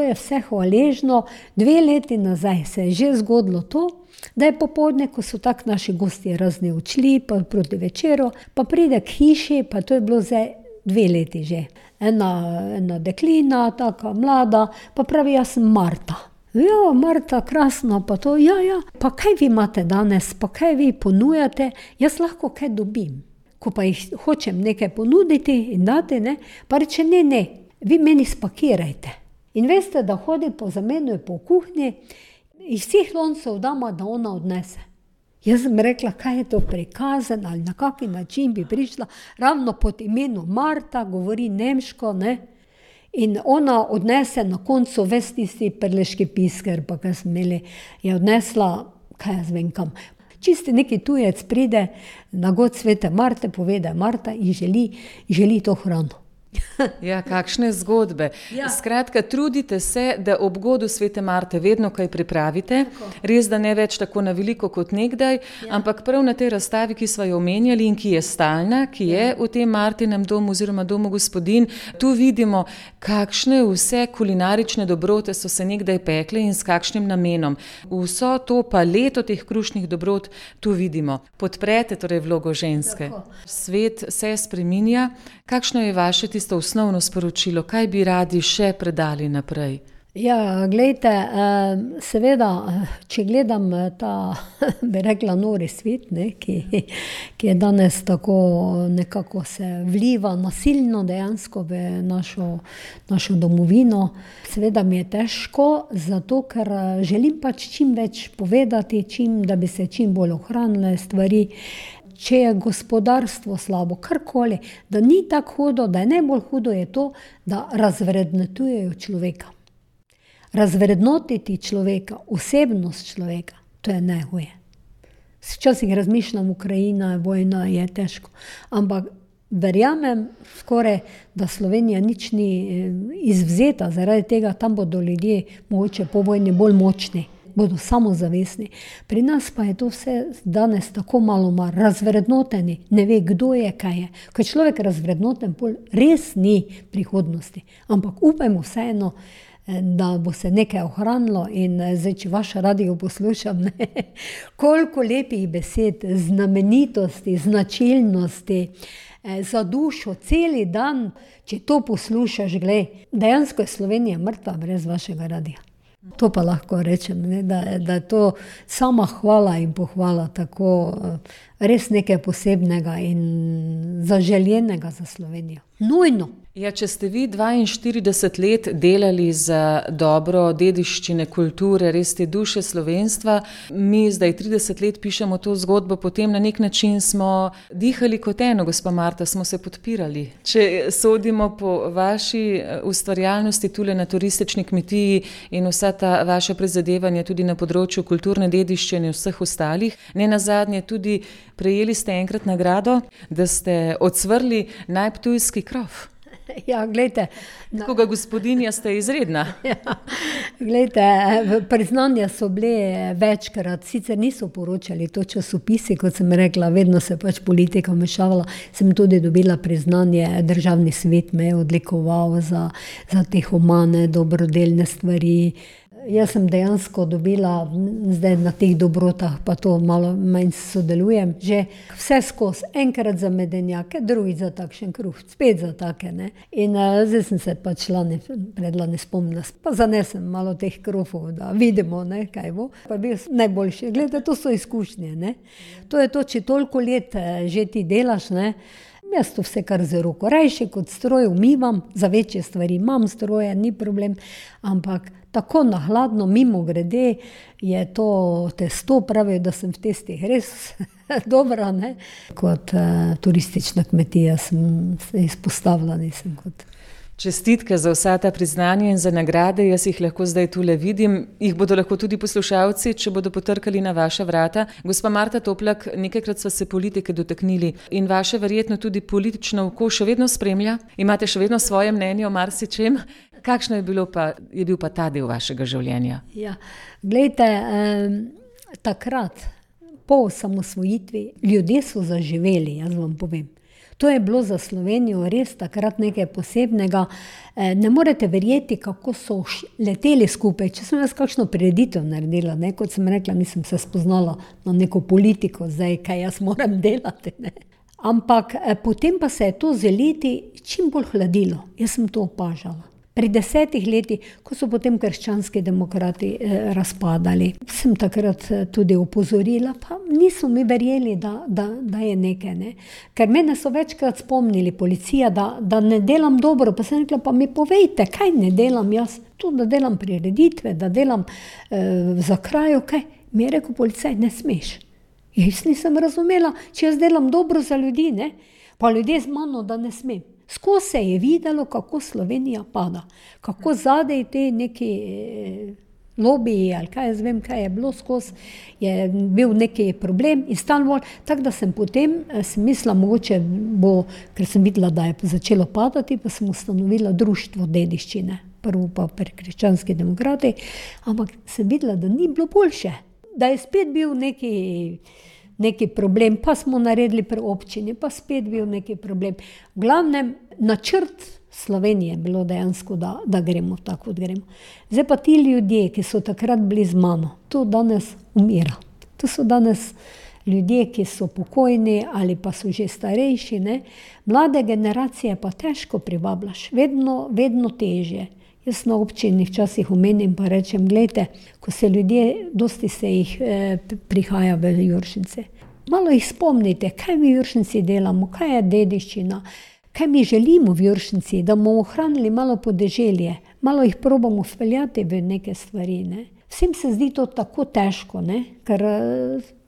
je vse hvaležno, 2 leti nazaj se je že zgodilo to, da je popoldne, ko so tak naši gosti razni odšli, pa proti večeru, pa pride k hiši, pa to je bilo zdaj 2 leti že. Ena deklina, taka mlada, pa pravi, jaz sem Marta. Ja, Marta, krasno, pa to, ja, pa kaj vi imate danes, pa kaj vi ponujate, jaz lahko kaj dobim. Ko pa jih hočem nekaj ponuditi in dati, ne, pa reče, ne, vi meni spakirajte. In veste, da hodi po zamenu po kuhinji, iz vseh loncev dama, da ona odnese. Jaz sem rekla, kaj je to prikazen ali na kaki način bi prišla, ravno pod imenom Marta, govori nemško, ne. In ona odnese na koncu ves tisti prleški pisker, pa kaj smo imeli, je odnesla, kaj jaz vem kam. Čisti neki tujec pride na god svete Marte, pove, da je Marta in želi to hrano. Ja, kakšne zgodbe. Ja. Skratka, trudite se, da ob godu svete Marte vedno kaj pripravite. Tako. Res, da ne več tako na veliko kot nekdaj, ampak prav na tej razstavi, ki sva jo omenjali in ki je stalna, ki je v tem Martinem domu oziroma domu gospodinj, tu vidimo, kakšne vse kulinarične dobrote so se nekdaj pekle in s kakšnim namenom. Vso to paleto teh krušnih dobrot tu vidimo. Podprete torej vlogo ženske. Tako. Svet se spreminja. Kakšno je vaše tisto osnovno sporočilo? Kaj bi radi še predali naprej? Ja, glejte, seveda, če gledam ta, bi rekla, nori svet, ne, ki je danes tako nekako se vliva nasilno dejansko v našo domovino, seveda mi je težko, zato ker želim pač čim več povedati, da bi se čim bolj ohranile stvari. Če je gospodarstvo slabo, karkoli, da ni tako hudo, da je najbolj hudo je to, da razvrednotujejo človeka. Razvrednotiti človeka, osebnost človeka, to je najhuje. Včasih razmišljam, Ukrajina, vojna je težko, ampak verjamem skoraj, da Slovenija nič ni izvzeta, zaradi tega tam bodo ljudje mogoče po vojni bolj močni. Bodo samozavestni. Pri nas pa je to vse danes tako malo razvrednoteni, ne ve, kdo je, kaj je. Ko je človek razvrednoten, res ni prihodnosti. Ampak upajmo vseeno, da bo se nekaj ohranilo in zdaj, če vaš radio poslušam, koliko lepih besed, znamenitosti, značilnosti, za dušo, celi dan, če to poslušaš, glej, dejansko je Slovenija mrtva brez vašega radia. To pa lahko rečem, ne, da je to sama hvala in pohvala, tako res nekaj posebnega in zaželjenega za Slovenijo. Nujno. Ja, če ste vi 42 let delali za dobro dediščine, kulture, res te duše slovenstva, mi zdaj 30 let pišemo to zgodbo, potem na nek način smo dihali kot eno, gospa Marta, smo se podpirali. Če sodimo po vaši ustvarjalnosti tule na turistični kmetiji in vsa ta vaša prizadevanja tudi na področju kulturne dediščine in vseh ostalih, ne nazadnje tudi prejeli ste enkrat nagrado, da ste ocvrli najptujski krof. Ja, glejte. Koga gospodinja ste izredna. Ja, glejte, priznanja so bile večkrat, sicer niso poročali to časopisi, kot sem rekla, vedno se pač politika vmešavala. Sem tudi dobila priznanje, državni svet me je odlikoval za te humane, dobrodelne stvari. Jaz sem dejansko dobila, zdaj na teh dobrotah, pa to malo manj sodelujem, že vse skozi, enkrat za medenjake, drugi za takšen kruh, spet za take, ne. In zdaj sem se pač predlani spomnila, pa zanesem malo teh krofov, da vidimo, ne, kaj bo. Pa bil najboljši. Glede, to so izkušnje, ne. To je to, če toliko let že ti delaš, ne. Jaz to vse kar z roko. Rajši kot stroj umivam, za večje stvari imam stroje, ni problem, ampak tako na hladno, mimo grede, je to testo, pravijo, da sem v testih res dobra, ne. Kot turistična kmetija sem se izpostavila, nisem kot... Čestitke za vsa ta priznanja in za nagrade, jaz jih lahko zdaj tule vidim, jih bodo lahko tudi poslušalci, če bodo potrkali na vaša vrata. Gospa Marta Toplak, nekajkrat sva se politike dotaknili in vaše verjetno tudi politično oko še vedno spremlja, imate še vedno svoje mnenje o marsičem. Kakšno je bil pa ta del vašega življenja? Ja, glejte, takrat, po osamosvojitvi, ljudje so zaživeli, jaz vam povem. To je bilo za Slovenijo res takrat nekaj posebnega. Ne morete verjeti, kako so leteli skupaj. Če sem jaz kakšno prireditev naredila, ne, kot sem rekla, nisem se spoznala na neko politiko, zdaj, kaj jaz moram delati. Ne. Ampak potem pa se je to z leti čim bolj hladilo. Jaz sem to opažala. Pri 10 letih, ko so potem krščanski demokrati razpadali, sem takrat tudi opozorila, pa niso mi verjeli, da je nekaj. Ne. Ker mene so večkrat spomnili policija, da ne delam dobro, pa sem rekla, pa mi povejte, kaj ne delam jaz, to, da delam prireditve, da delam za krajo, kaj. Mi je rekel policaj, ne smeš. Jaz nisem razumela, če jaz delam dobro za ljudi, ne, pa ljudje z mano, da ne smem. Skozi se je videlo, kako Slovenija pada, kako zadej te neki lobiji ali kaj jaz vem, kaj je bilo skozi, je bil neki problem in Stanvol, tako da sem potem mislila, mogoče bo, ker sem videla, da je začelo padati, pa sem ustanovila društvo dediščine, prvo pa pri krščanski demokrati, ampak sem videla, da ni bilo boljše, da je spet bil neki problem, pa smo naredili pri občini, pa spet bil neki problem. V glavnem, načrt Slovenije je bilo dejansko, da gremo tako, kot gremo. Zdaj pa ti ljudje, ki so takrat bili z mano, to danes umira. To so danes ljudje, ki so pokojni ali pa so že starejši, ne. Mlade generacije pa težko privabljaš, vedno težje. Jaz na občini včasih omenim pa rečem, glejte, ko se ljudje, dosti se jih prihaja v Juršince. Malo jih spomnite, kaj mi v Juršinci delamo, kaj je dediščina, kaj mi želimo v Juršinci, da bomo ohranili malo podeželje, malo jih probamo vpeljati v neke stvari. Ne. Vsem se zdi to tako težko, ne, ker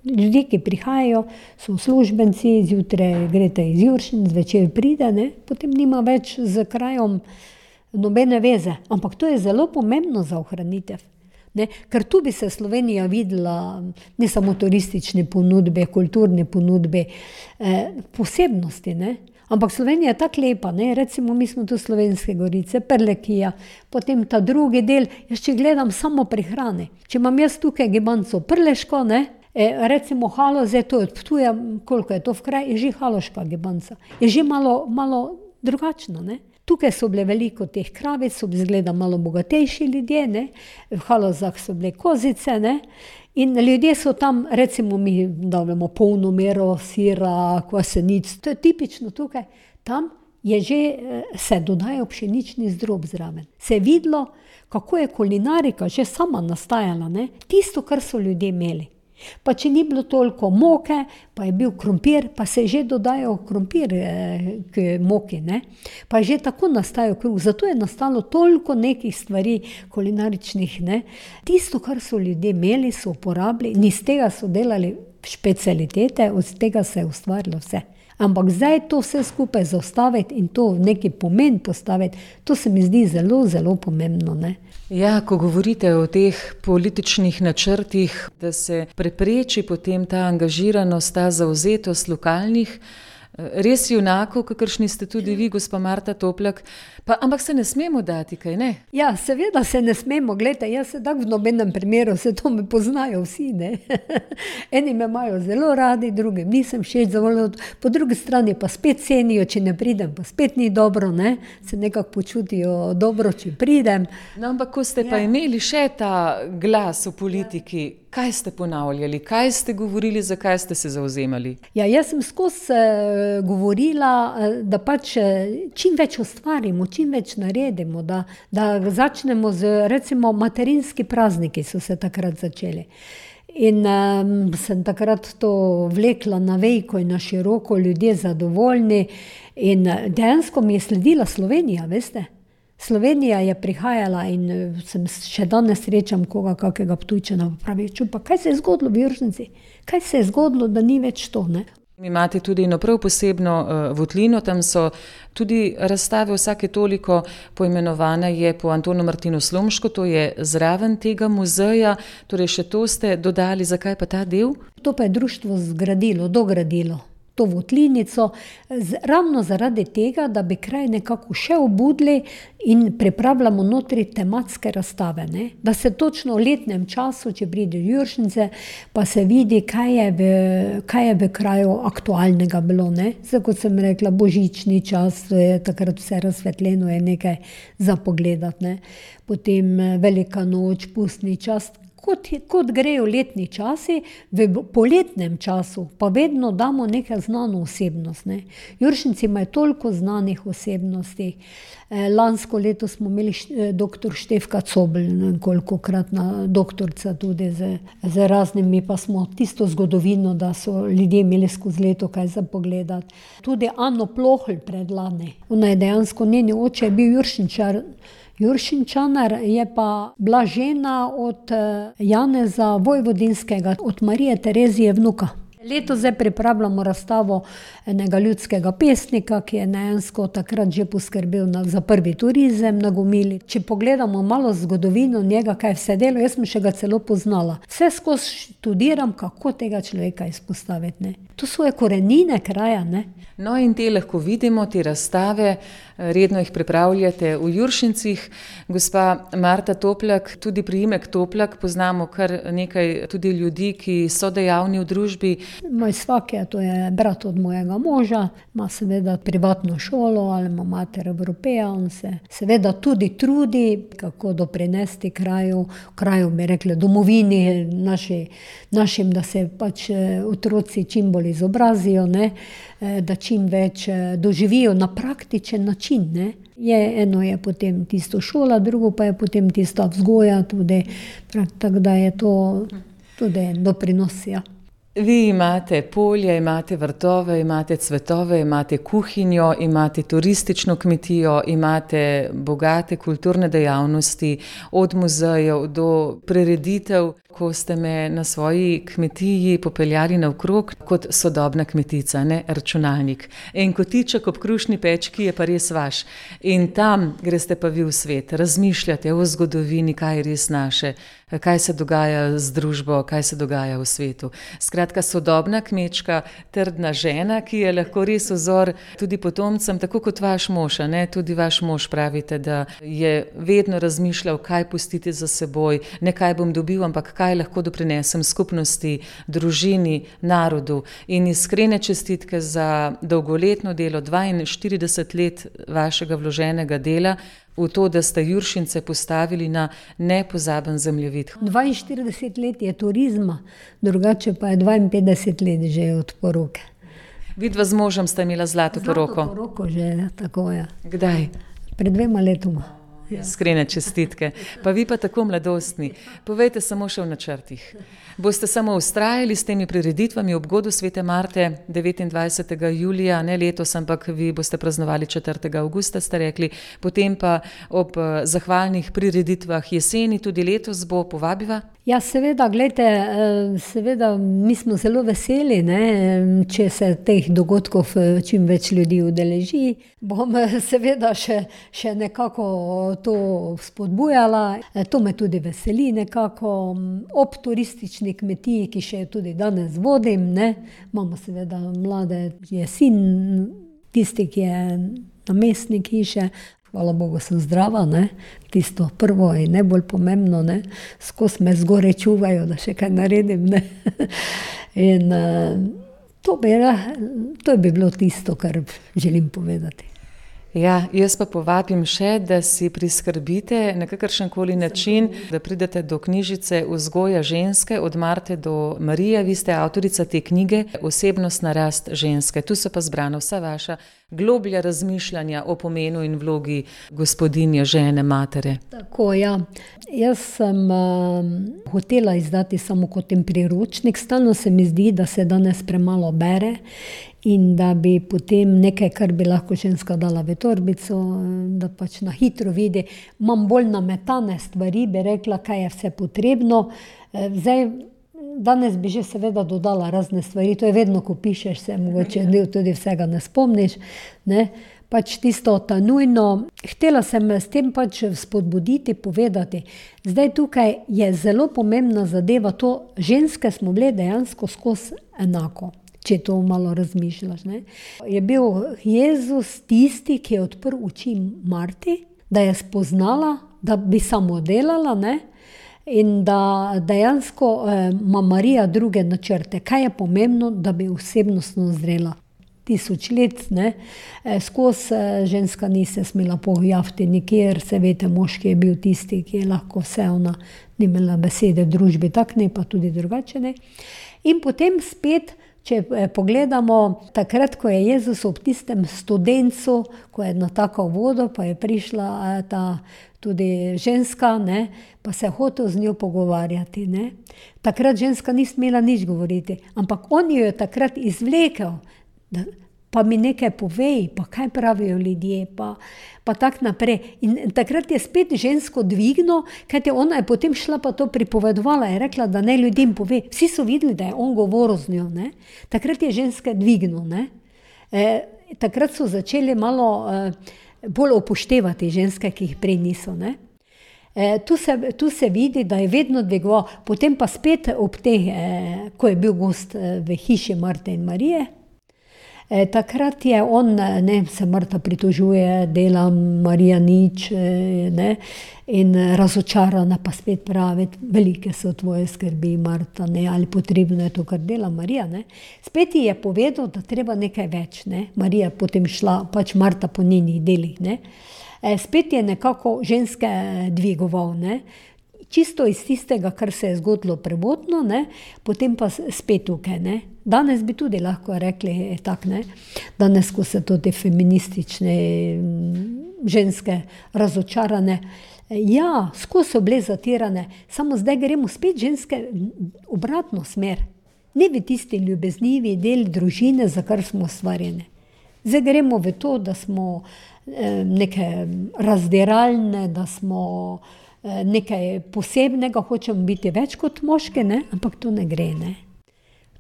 ljudje, ki prihajajo, so uslužbenci, zjutraj greste iz Juršin, zvečer pride, ne, potem nima več z krajom nobene veze, ampak to je zelo pomembno za ohranitev. Ne? Ker tu bi se Slovenija videla, ne samo turistične ponudbe, kulturne ponudbe, posebnosti, ne? Ampak Slovenija je tako lepa, ne? Recimo mi smo tu Slovenske gorice, Prlekija, potem ta drugi del, jaz če gledam samo pri hrani, če imam jaz tukaj gibanco Prleško, ne? Recimo Haloze, to je od Ptuja, koliko je to v kraj, je že haloška gibanca, je že malo drugačna, ne? Tukaj so bile veliko teh kravic, so izgleda malo bogatejši ljudje, ne? V Halozah so bile kozice, ne? In ljudje so tam, recimo mi davljamo polno mero sira, kvasenic, to je tipično tukaj. Tam je že se dodajal pšenični zdrob zraven. Se je videlo, kako je kulinarika že sama nastajala, ne? Tisto, kar so ljudje imeli. Pa če ni bilo toliko moke, pa je bil krompir, pa se je že dodajal krompir k moki, ne? Pa je že tako nastajal kruh. Zato je nastalo toliko nekih stvari kulinaričnih, ne? Tisto, kar so ljudje imeli, so uporabili in iz tega so delali specialitete, od tega se je ustvarilo vse. Ampak zdaj to vse skupaj zaustaviti in to v neki pomen postaviti, to se mi zdi zelo, zelo pomembno, ne? Ja, ko govorite o teh političnih načrtih, da se prepreči potem ta angažiranost, ta zavzetost lokalnih, res junakov, kakršni ste tudi vi, gospa Marta Toplak, ampak se ne smemo dati, kaj ne? Ja, seveda se ne smemo, gledajte, jaz se tako v nobenem primeru, se to me poznajo vsi, ne. Eni me imajo zelo radi, drugim nisem všeč, po drugi strani pa spet cenijo, če ne pridem, pa spet ni dobro, ne. Se nekako počutijo dobro, če pridem. No, ampak ko ste pa imeli še ta glas v politiki, kaj ste ponavljali, kaj ste govorili, zakaj ste se zavzemali? Ja, jaz sem skozi govorila, da pač čim več ustvarimo, čim več naredimo, da začnemo z, recimo, materinski prazniki so se takrat začeli. In sem takrat to vlekla na veliko in na široko, ljudje zadovoljni in dejansko mi je sledila Slovenija, veste. Slovenija je prihajala in sem še danes srečam koga, kakega Ptujčana, pravi, čupa, kaj se je zgodilo v Juršnici? Kaj se je zgodilo, da ni več to, ne? Imate tudi eno prav posebno votlino, tam so tudi razstave vsake toliko, poimenovana je po Antonu Martinu Slomšku, to je zraven tega muzeja, torej še to ste dodali, zakaj pa ta del? To pa je društvo dogradilo to votlinico, ravno zaradi tega, da bi kraj nekako še obudili in pripravljamo notri tematske razstave, ne? Da se točno v letnem času, če pride v Juršnice, pa se vidi, kaj je v kraju aktualnega bilo, ne? Zdaj, kot sem rekla, božični čas, je takrat vse razsvetljeno, je nekaj za pogledati, ne? Potem velika noč, pustni čas, kot grejo letni časi, v poletnem času pa vedno damo neka znano osebnost, ne. Juršinci imajo toliko znanih osebnosti. Lansko leto smo imeli doktor Štefka Cobl, kolikokratna doktorica tudi z raznimi, pa smo tisto zgodovino, da so ljudje imeli skozi leto kaj za pogledati. Tudi Ano Plohl predlani. Ona je dejansko, njeni oče je bil Juršinčanar, je pa bila žena od Janeza Vojvodinskega, od Marije Terezije vnuka. Leto zdaj pripravljamo razstavo enega ljudskega pesnika, ki je dejansko takrat že poskrbel za prvi turizem na Gomili. Če pogledamo malo zgodovino njega, kaj vse delo, jaz sem še ga celo poznala. Vse skozi študiram, kako tega človeka izpostaviti, ne. To so korenine kraja, ne. No in te lahko vidimo, te razstave, redno jih pripravljate v Juršincih. Gospa Marta Toplak, tudi priimek Toplak, poznamo kar nekaj tudi ljudi, ki so dejavni v družbi. Moj svak je, to je brat od mojega moža, ima seveda privatno šolo ali ima mater Evropeja, on se seveda tudi trudi, kako doprinesti kraju bi rekli, domovini našim, da se pač otroci čim bolj izobrazijo, ne, da čim več doživijo na praktičen način, ne. Eno je potem tisto šola, drugo pa je potem tista vzgoja tudi, tako da je to tudi doprinos, ja. Vi imate polje, imate vrtove, imate cvetove, imate kuhinjo, imate turistično kmetijo, imate bogate kulturne dejavnosti, od muzejev do prireditev, ko ste me na svoji kmetiji popeljali naokrog kot sodobna kmetica, ne računalnik. In kotiček ob krušni pečki je pa res vaš. In tam greste pa vi v svet, razmišljate o zgodovini, kaj je res naše, kaj se dogaja z družbo, kaj se dogaja v svetu. Skratka, sodobna kmečka, trdna žena, ki je lahko res vzor tudi potomcem, tako kot vaš mož, ne? Tudi vaš mož pravite, da je vedno razmišljal, kaj pustiti za seboj, ne kaj bom dobil, ampak kaj lahko doprinesem skupnosti, družini, narodu. In iskrene čestitke za dolgoletno delo, 42 let vašega vloženega dela, v to, da ste Juršince postavili na nepozaben zemljevid. 42 let je turizma, drugače pa je 52 let že od poroke. Vidva z možem sta imela zlato poroko. Zlato poroko že, tako je. Kdaj? Pred 2 letoma. Iskrene čestitke. Pa vi pa tako mladostni. Povejte samo še v načrtih. Boste samo vztrajali s temi prireditvami ob godu Svete Marte 29. julija, ne letos, ampak vi boste praznovali 4. avgusta, ste rekli, potem pa ob zahvalnih prireditvah jeseni, tudi letos bo, povabiva? Ja, seveda, gledajte, seveda mi smo zelo veseli, ne, če se teh dogodkov čim več ljudi udeleži. Bom seveda še nekako to spodbujala. To me tudi veseli nekako. Ob turistični kmetiji, ki še tudi danes vodim, ne. Imamo seveda mlade, je sin tisti, ki je namestnik hiše. Hvala Bogu, sem zdrava, ne. Tisto prvo in najbolj pomembno, ne. Skozi me zgoraj čuvajo, da še kaj naredim, ne. In to bi bilo tisto, kar želim povedati. Ja, jaz pa povabim še, da si priskrbite na kakršenkoli način, da pridete do knjižice Vzgoja ženske od Marte do Marije. Vi ste avtorica te knjige Osebnostna rast ženske. Tu so pa zbrana vsa vaša globlja razmišljanja o pomenu in vlogi gospodinje, žene, matere. Tako, ja. Jaz sem hotela izdati samo kot en priročnik. Stalno se mi zdi, da se danes premalo bere in da bi potem nekaj, kar bi lahko ženska dala v torbico, da pač na hitro vidi. Imam bolj nametane stvari, bi rekla, kaj je vse potrebno. Zdaj, danes bi že seveda dodala razne stvari, to je vedno, ko pišeš, se mogoče tudi vsega ne spomniš, ne. Pač tisto ta nujno. Htela sem s tem pač spodbuditi, povedati. Zdaj tukaj je zelo pomembna zadeva to, ženske smo bile dejansko skozi enako, če to malo razmišljaš, ne. Je bil Jezus tisti, ki je odprl oči Marti, da je spoznala, da bi samo delala, ne, in da dejansko ima Marija druge načrte. Kaj je pomembno, da bi osebnostno zrela? 1000 let, ne, skozi ženska ni se smela pojaviti nikjer, se veste, moški je bil tisti, ki je lahko vse, ona ni imela besede v družbi, tak ne, pa tudi drugače ne. In potem spet, če pogledamo, takrat, ko je Jezus ob tistem studencu, ko je natakal vodo, pa je prišla ta tudi ženska, ne, pa se je hotel z njo pogovarjati, ne. Takrat ženska ni smela nič govoriti, ampak on jo je takrat izvlekel, pa mi nekaj povej, pa kaj pravijo ljudje, pa tak naprej. In takrat je spet žensko dvignil, kajti ona je potem šla pa to pripovedovala, je rekla, da ne ljudem pove. Vsi so videli, da je on govoril z njo, ne. Takrat je ženska dvignil, ne. Takrat so začeli malo bolj upoštevati ženske, ki jih prej niso, ne. Tu se vidi, da je vedno dvigoval. Potem pa spet ob teh, ko je bil gost v hiši Marte in Marije, takrat je on, ne, se Marta pritožuje, dela Marija nič, ne, in razočarana pa spet pravi, velike so tvoje skrbi, Marta, ne, ali potrebno je to, kar dela Marija, ne. Spet ji je povedal, da treba nekaj več, ne. Marija potem šla, pač Marta po njenih delih, ne. Spet je nekako ženske dvigoval, ne. Čisto iz tistega, kar se je zgodilo prvotno, ne, potem pa spet tukaj, ne. Danes bi tudi lahko rekli tak, ne. Danes, ko se to te feministične ženske razočarane, ja, skozi so bile zatirane, samo zdaj gremo spet ženske obratno smer. Ne v tisti ljubeznivi del družine, za kar smo ustvarjene. Zdaj gremo v to, da smo neke razdiralne, da smo nekaj posebnega, hočemo biti več kot moške, ne? Ampak to ne gre, ne.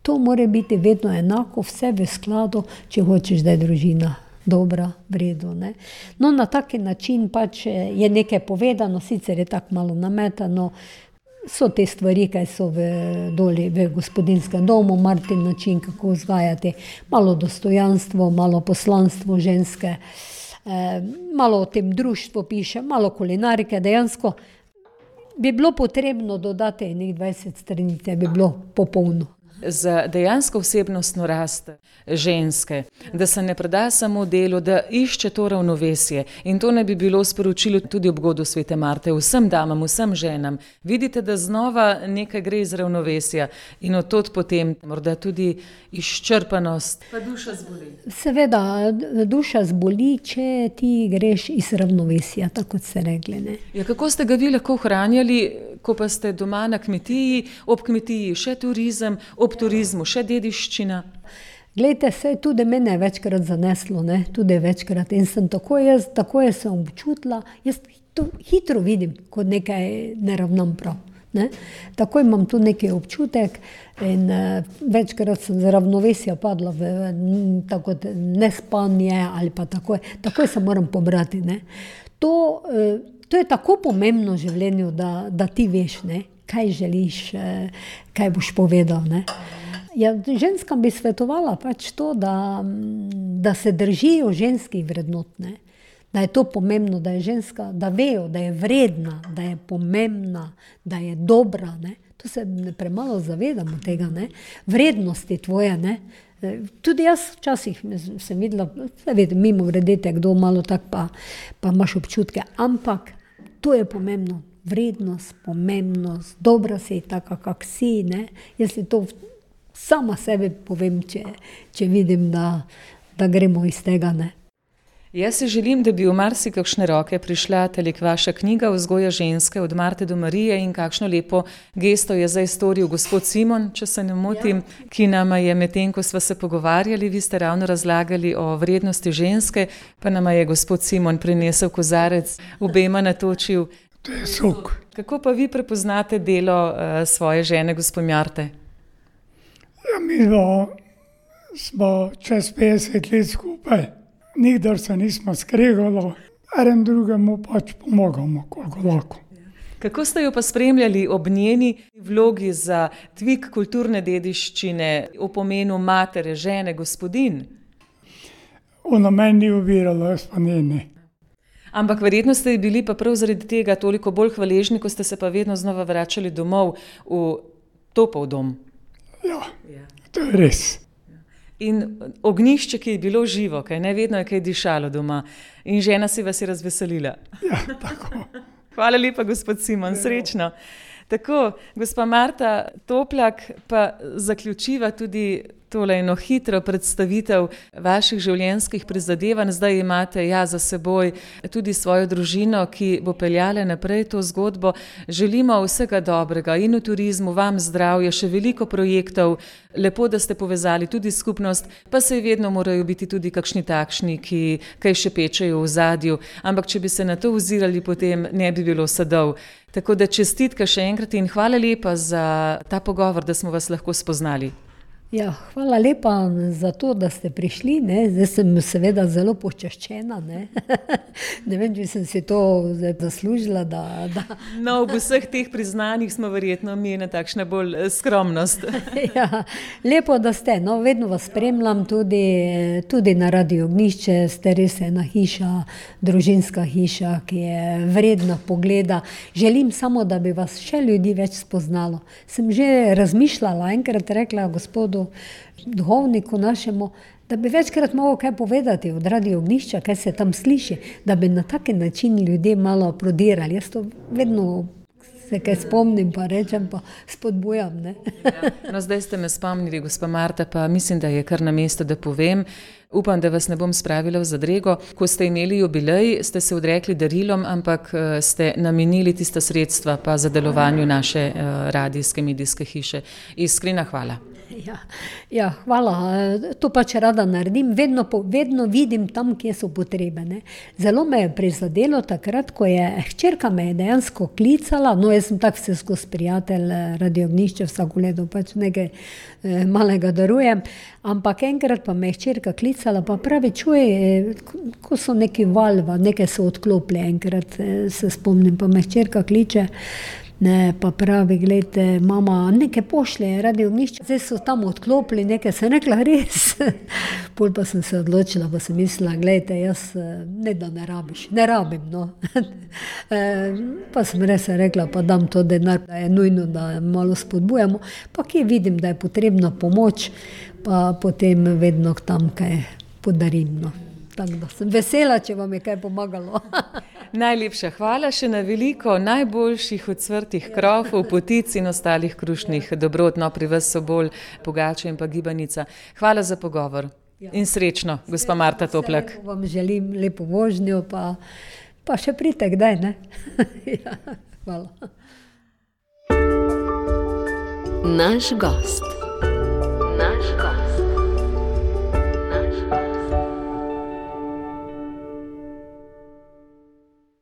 To mora biti vedno enako, vse v skladu, če hočeš, da je družina dobra, v redu, ne. No, na taki način pač je nekaj povedano, sicer je tako malo nametano, so te stvari, kaj so doli v gospodinskem domu, Martin način, kako vzgajati, malo dostojanstvo, malo poslanstvo ženske, malo o tem društvu piše, malo kulinarike, dejansko bi bilo potrebno dodati nekaj 20 stranic, bi bilo popolno. za dejansko osebnostno rast ženske, da se ne preda samo delu, da išče to ravnovesje. In to ne bi bilo sporočilo tudi ob godu svete Marte vsem damam, vsem ženam. Vidite, da znova nekaj gre iz ravnovesja in od tod potem morda tudi izčrpanost. Pa duša zboli. Seveda, duša zboli, če ti greš iz ravnovesja, tako kot ste rekli. Ne? Ja, kako ste ga vi lahko ohranjali, ko pa ste doma na kmetiji, ob kmetiji še turizem, ob turizmu še dediščina? Glejte, se je tudi mene večkrat zaneslo, ne? Tudi večkrat. In sem tako jaz sem občutila, jaz to hitro vidim, ko nekaj ne ravnam prav. Ne? Tako imam tu neki občutek in večkrat sem z ravnovesja padla v tako nespanje ali pa takoj se moram pobrati. Ne? To je tako pomembno v življenju, da ti veš, ne? Kaj želiš, kaj boš povedal. Ne? Ja, ženskam bi svetovala pač to, da se držijo ženskih vrednot, ne? Da je to pomembno, da je ženska, da vejo, da je vredna, da je pomembna, da je dobra. Ne? To se premalo zavedamo tega, ne? Vrednosti tvoje. Ne? Tudi jaz včasih sem videla, mimo vredete, kdo malo tak, pa imaš občutke, ampak to je pomembno. Vrednost, pomembnost, dobra si taka, kak si. Ne? Jaz si to sama sebi povem, če vidim, da gremo iz tega. Ne? Jaz si želim, da bi v marsikakšne roke prišla telik vaša knjiga Vzgoja ženske od Marte do Marije in kakšno lepo gesto je zdaj storil gospod Simon, če se ne motim, ki nama je medtem, ko sva se pogovarjali, vi ste ravno razlagali o vrednosti ženske, pa nama je gospod Simon prinesel kozarec, obema natočil. To je sok. Kako pa vi prepoznate delo svoje žene, gospod Marte? Ja, mi smo čez 50 let skupaj. Nikdar se nismo skregalo, eden drugemu pač pomagamo, koliko lahko. Kako ste jo pa spremljali ob njeni vlogi za dvig kulturne dediščine, o pomenu matere, žene, gospodin? Ona meni ni ovirala, jaz pa njeni. Ampak verjetno ste bili pa prav zaradi tega toliko bolj hvaležni, ko ste se pa vedno znova vračali domov v topel dom. Ja, to je res. In ognjišče, ki je bilo živo, kaj ne, vedno je kaj dišalo doma. In žena si vas je razveselila. Ja, tako. Hvala lepa, gospod Simon, srečno. Tako, gospa Marta Toplak pa zaključiva tudi tole eno hitro predstavitev vaših življenjskih prizadevanj. Zdaj imate za seboj tudi svojo družino, ki bo peljala naprej to zgodbo. Želimo vsega dobrega in v turizmu, vam zdravje, še veliko projektov. Lepo, da ste povezali tudi skupnost, pa se vedno morajo biti tudi kakšni takšni, ki kaj še pečejo v zadju. Ampak če bi se na to ozirali, potem ne bi bilo sadov. Tako da čestitka še enkrat in hvala lepa za ta pogovor, da smo vas lahko spoznali. Ja, hvala lepa za to, da ste prišli. Ne? Zdaj sem seveda zelo počaščena. Ne, ne vem, če sem si to zaslužila. No, v vseh teh priznanjih smo verjetno mi na takšna bolj skromnost. Ja, lepo, da ste. No, vedno vas spremljam tudi na Radio Ognjišče. Ste res ena hiša, družinska hiša, ki je vredna pogleda. Želim samo, da bi vas še ljudi več spoznalo. Sem že razmišljala, enkrat rekla gospodu duhovniku našemu, da bi večkrat mogel kaj povedati od Radio Ognjišča, kaj se tam sliši, da bi na taki način ljudje malo prodirali. Jaz to vedno se kaj spomnim, pa rečem, pa spodbujam. Ne? No, zdaj ste me spomnili, gospa Marta, pa mislim, da je kar na mesto, da povem. Upam, da vas ne bom spravila v zadrego. Ko ste imeli jubilej, ste se odrekli darilom, ampak ste namenili tista sredstva pa za delovanju naše radijske medijske hiše. Iskrena hvala. Ja, hvala. To pač rada naredim. Vedno vidim tam, kje so potrebe. Ne. Zelo me je prizadelo takrat, ko je hčerka me je dejansko klicala. No, jaz sem tak vse skozi prijatelj Radio Ognjišče, vsako leto pač nekaj malega darujem. Ampak enkrat pa me je hčerka klicala, pa pravi, čuj, ko so neki valva, nekaj so odklopili, enkrat se spomnim, pa me hčerka kliče. Ne, pa pravi, gledajte, mama, nekaj pošlje, radi ognjišče. Zdaj so tam odklopili, nekaj sem rekla, res. Pol pa sem se odločila, pa sem mislila, gledajte, jaz ne da ne rabiš, ne rabim, no. Pa sem res rekla, pa dam to denar, da je nujno, da malo spodbujamo. Pa kje vidim, da je potrebna pomoč, pa potem vedno tam kaj podarim, no. Tako da sem vesela, če vam je kaj pomagalo. Najlepša hvala še na veliko najboljših ocvrtih krofov, potic in ostalih krušnih dobrot. No, pri vas so bolj pogače in pa gibanica. Hvala za pogovor in srečno, gospa Marta Toplak. Vam želim lepo vožnjo, pa še pridite kdaj, ne? Ja, hvala. Naš gost.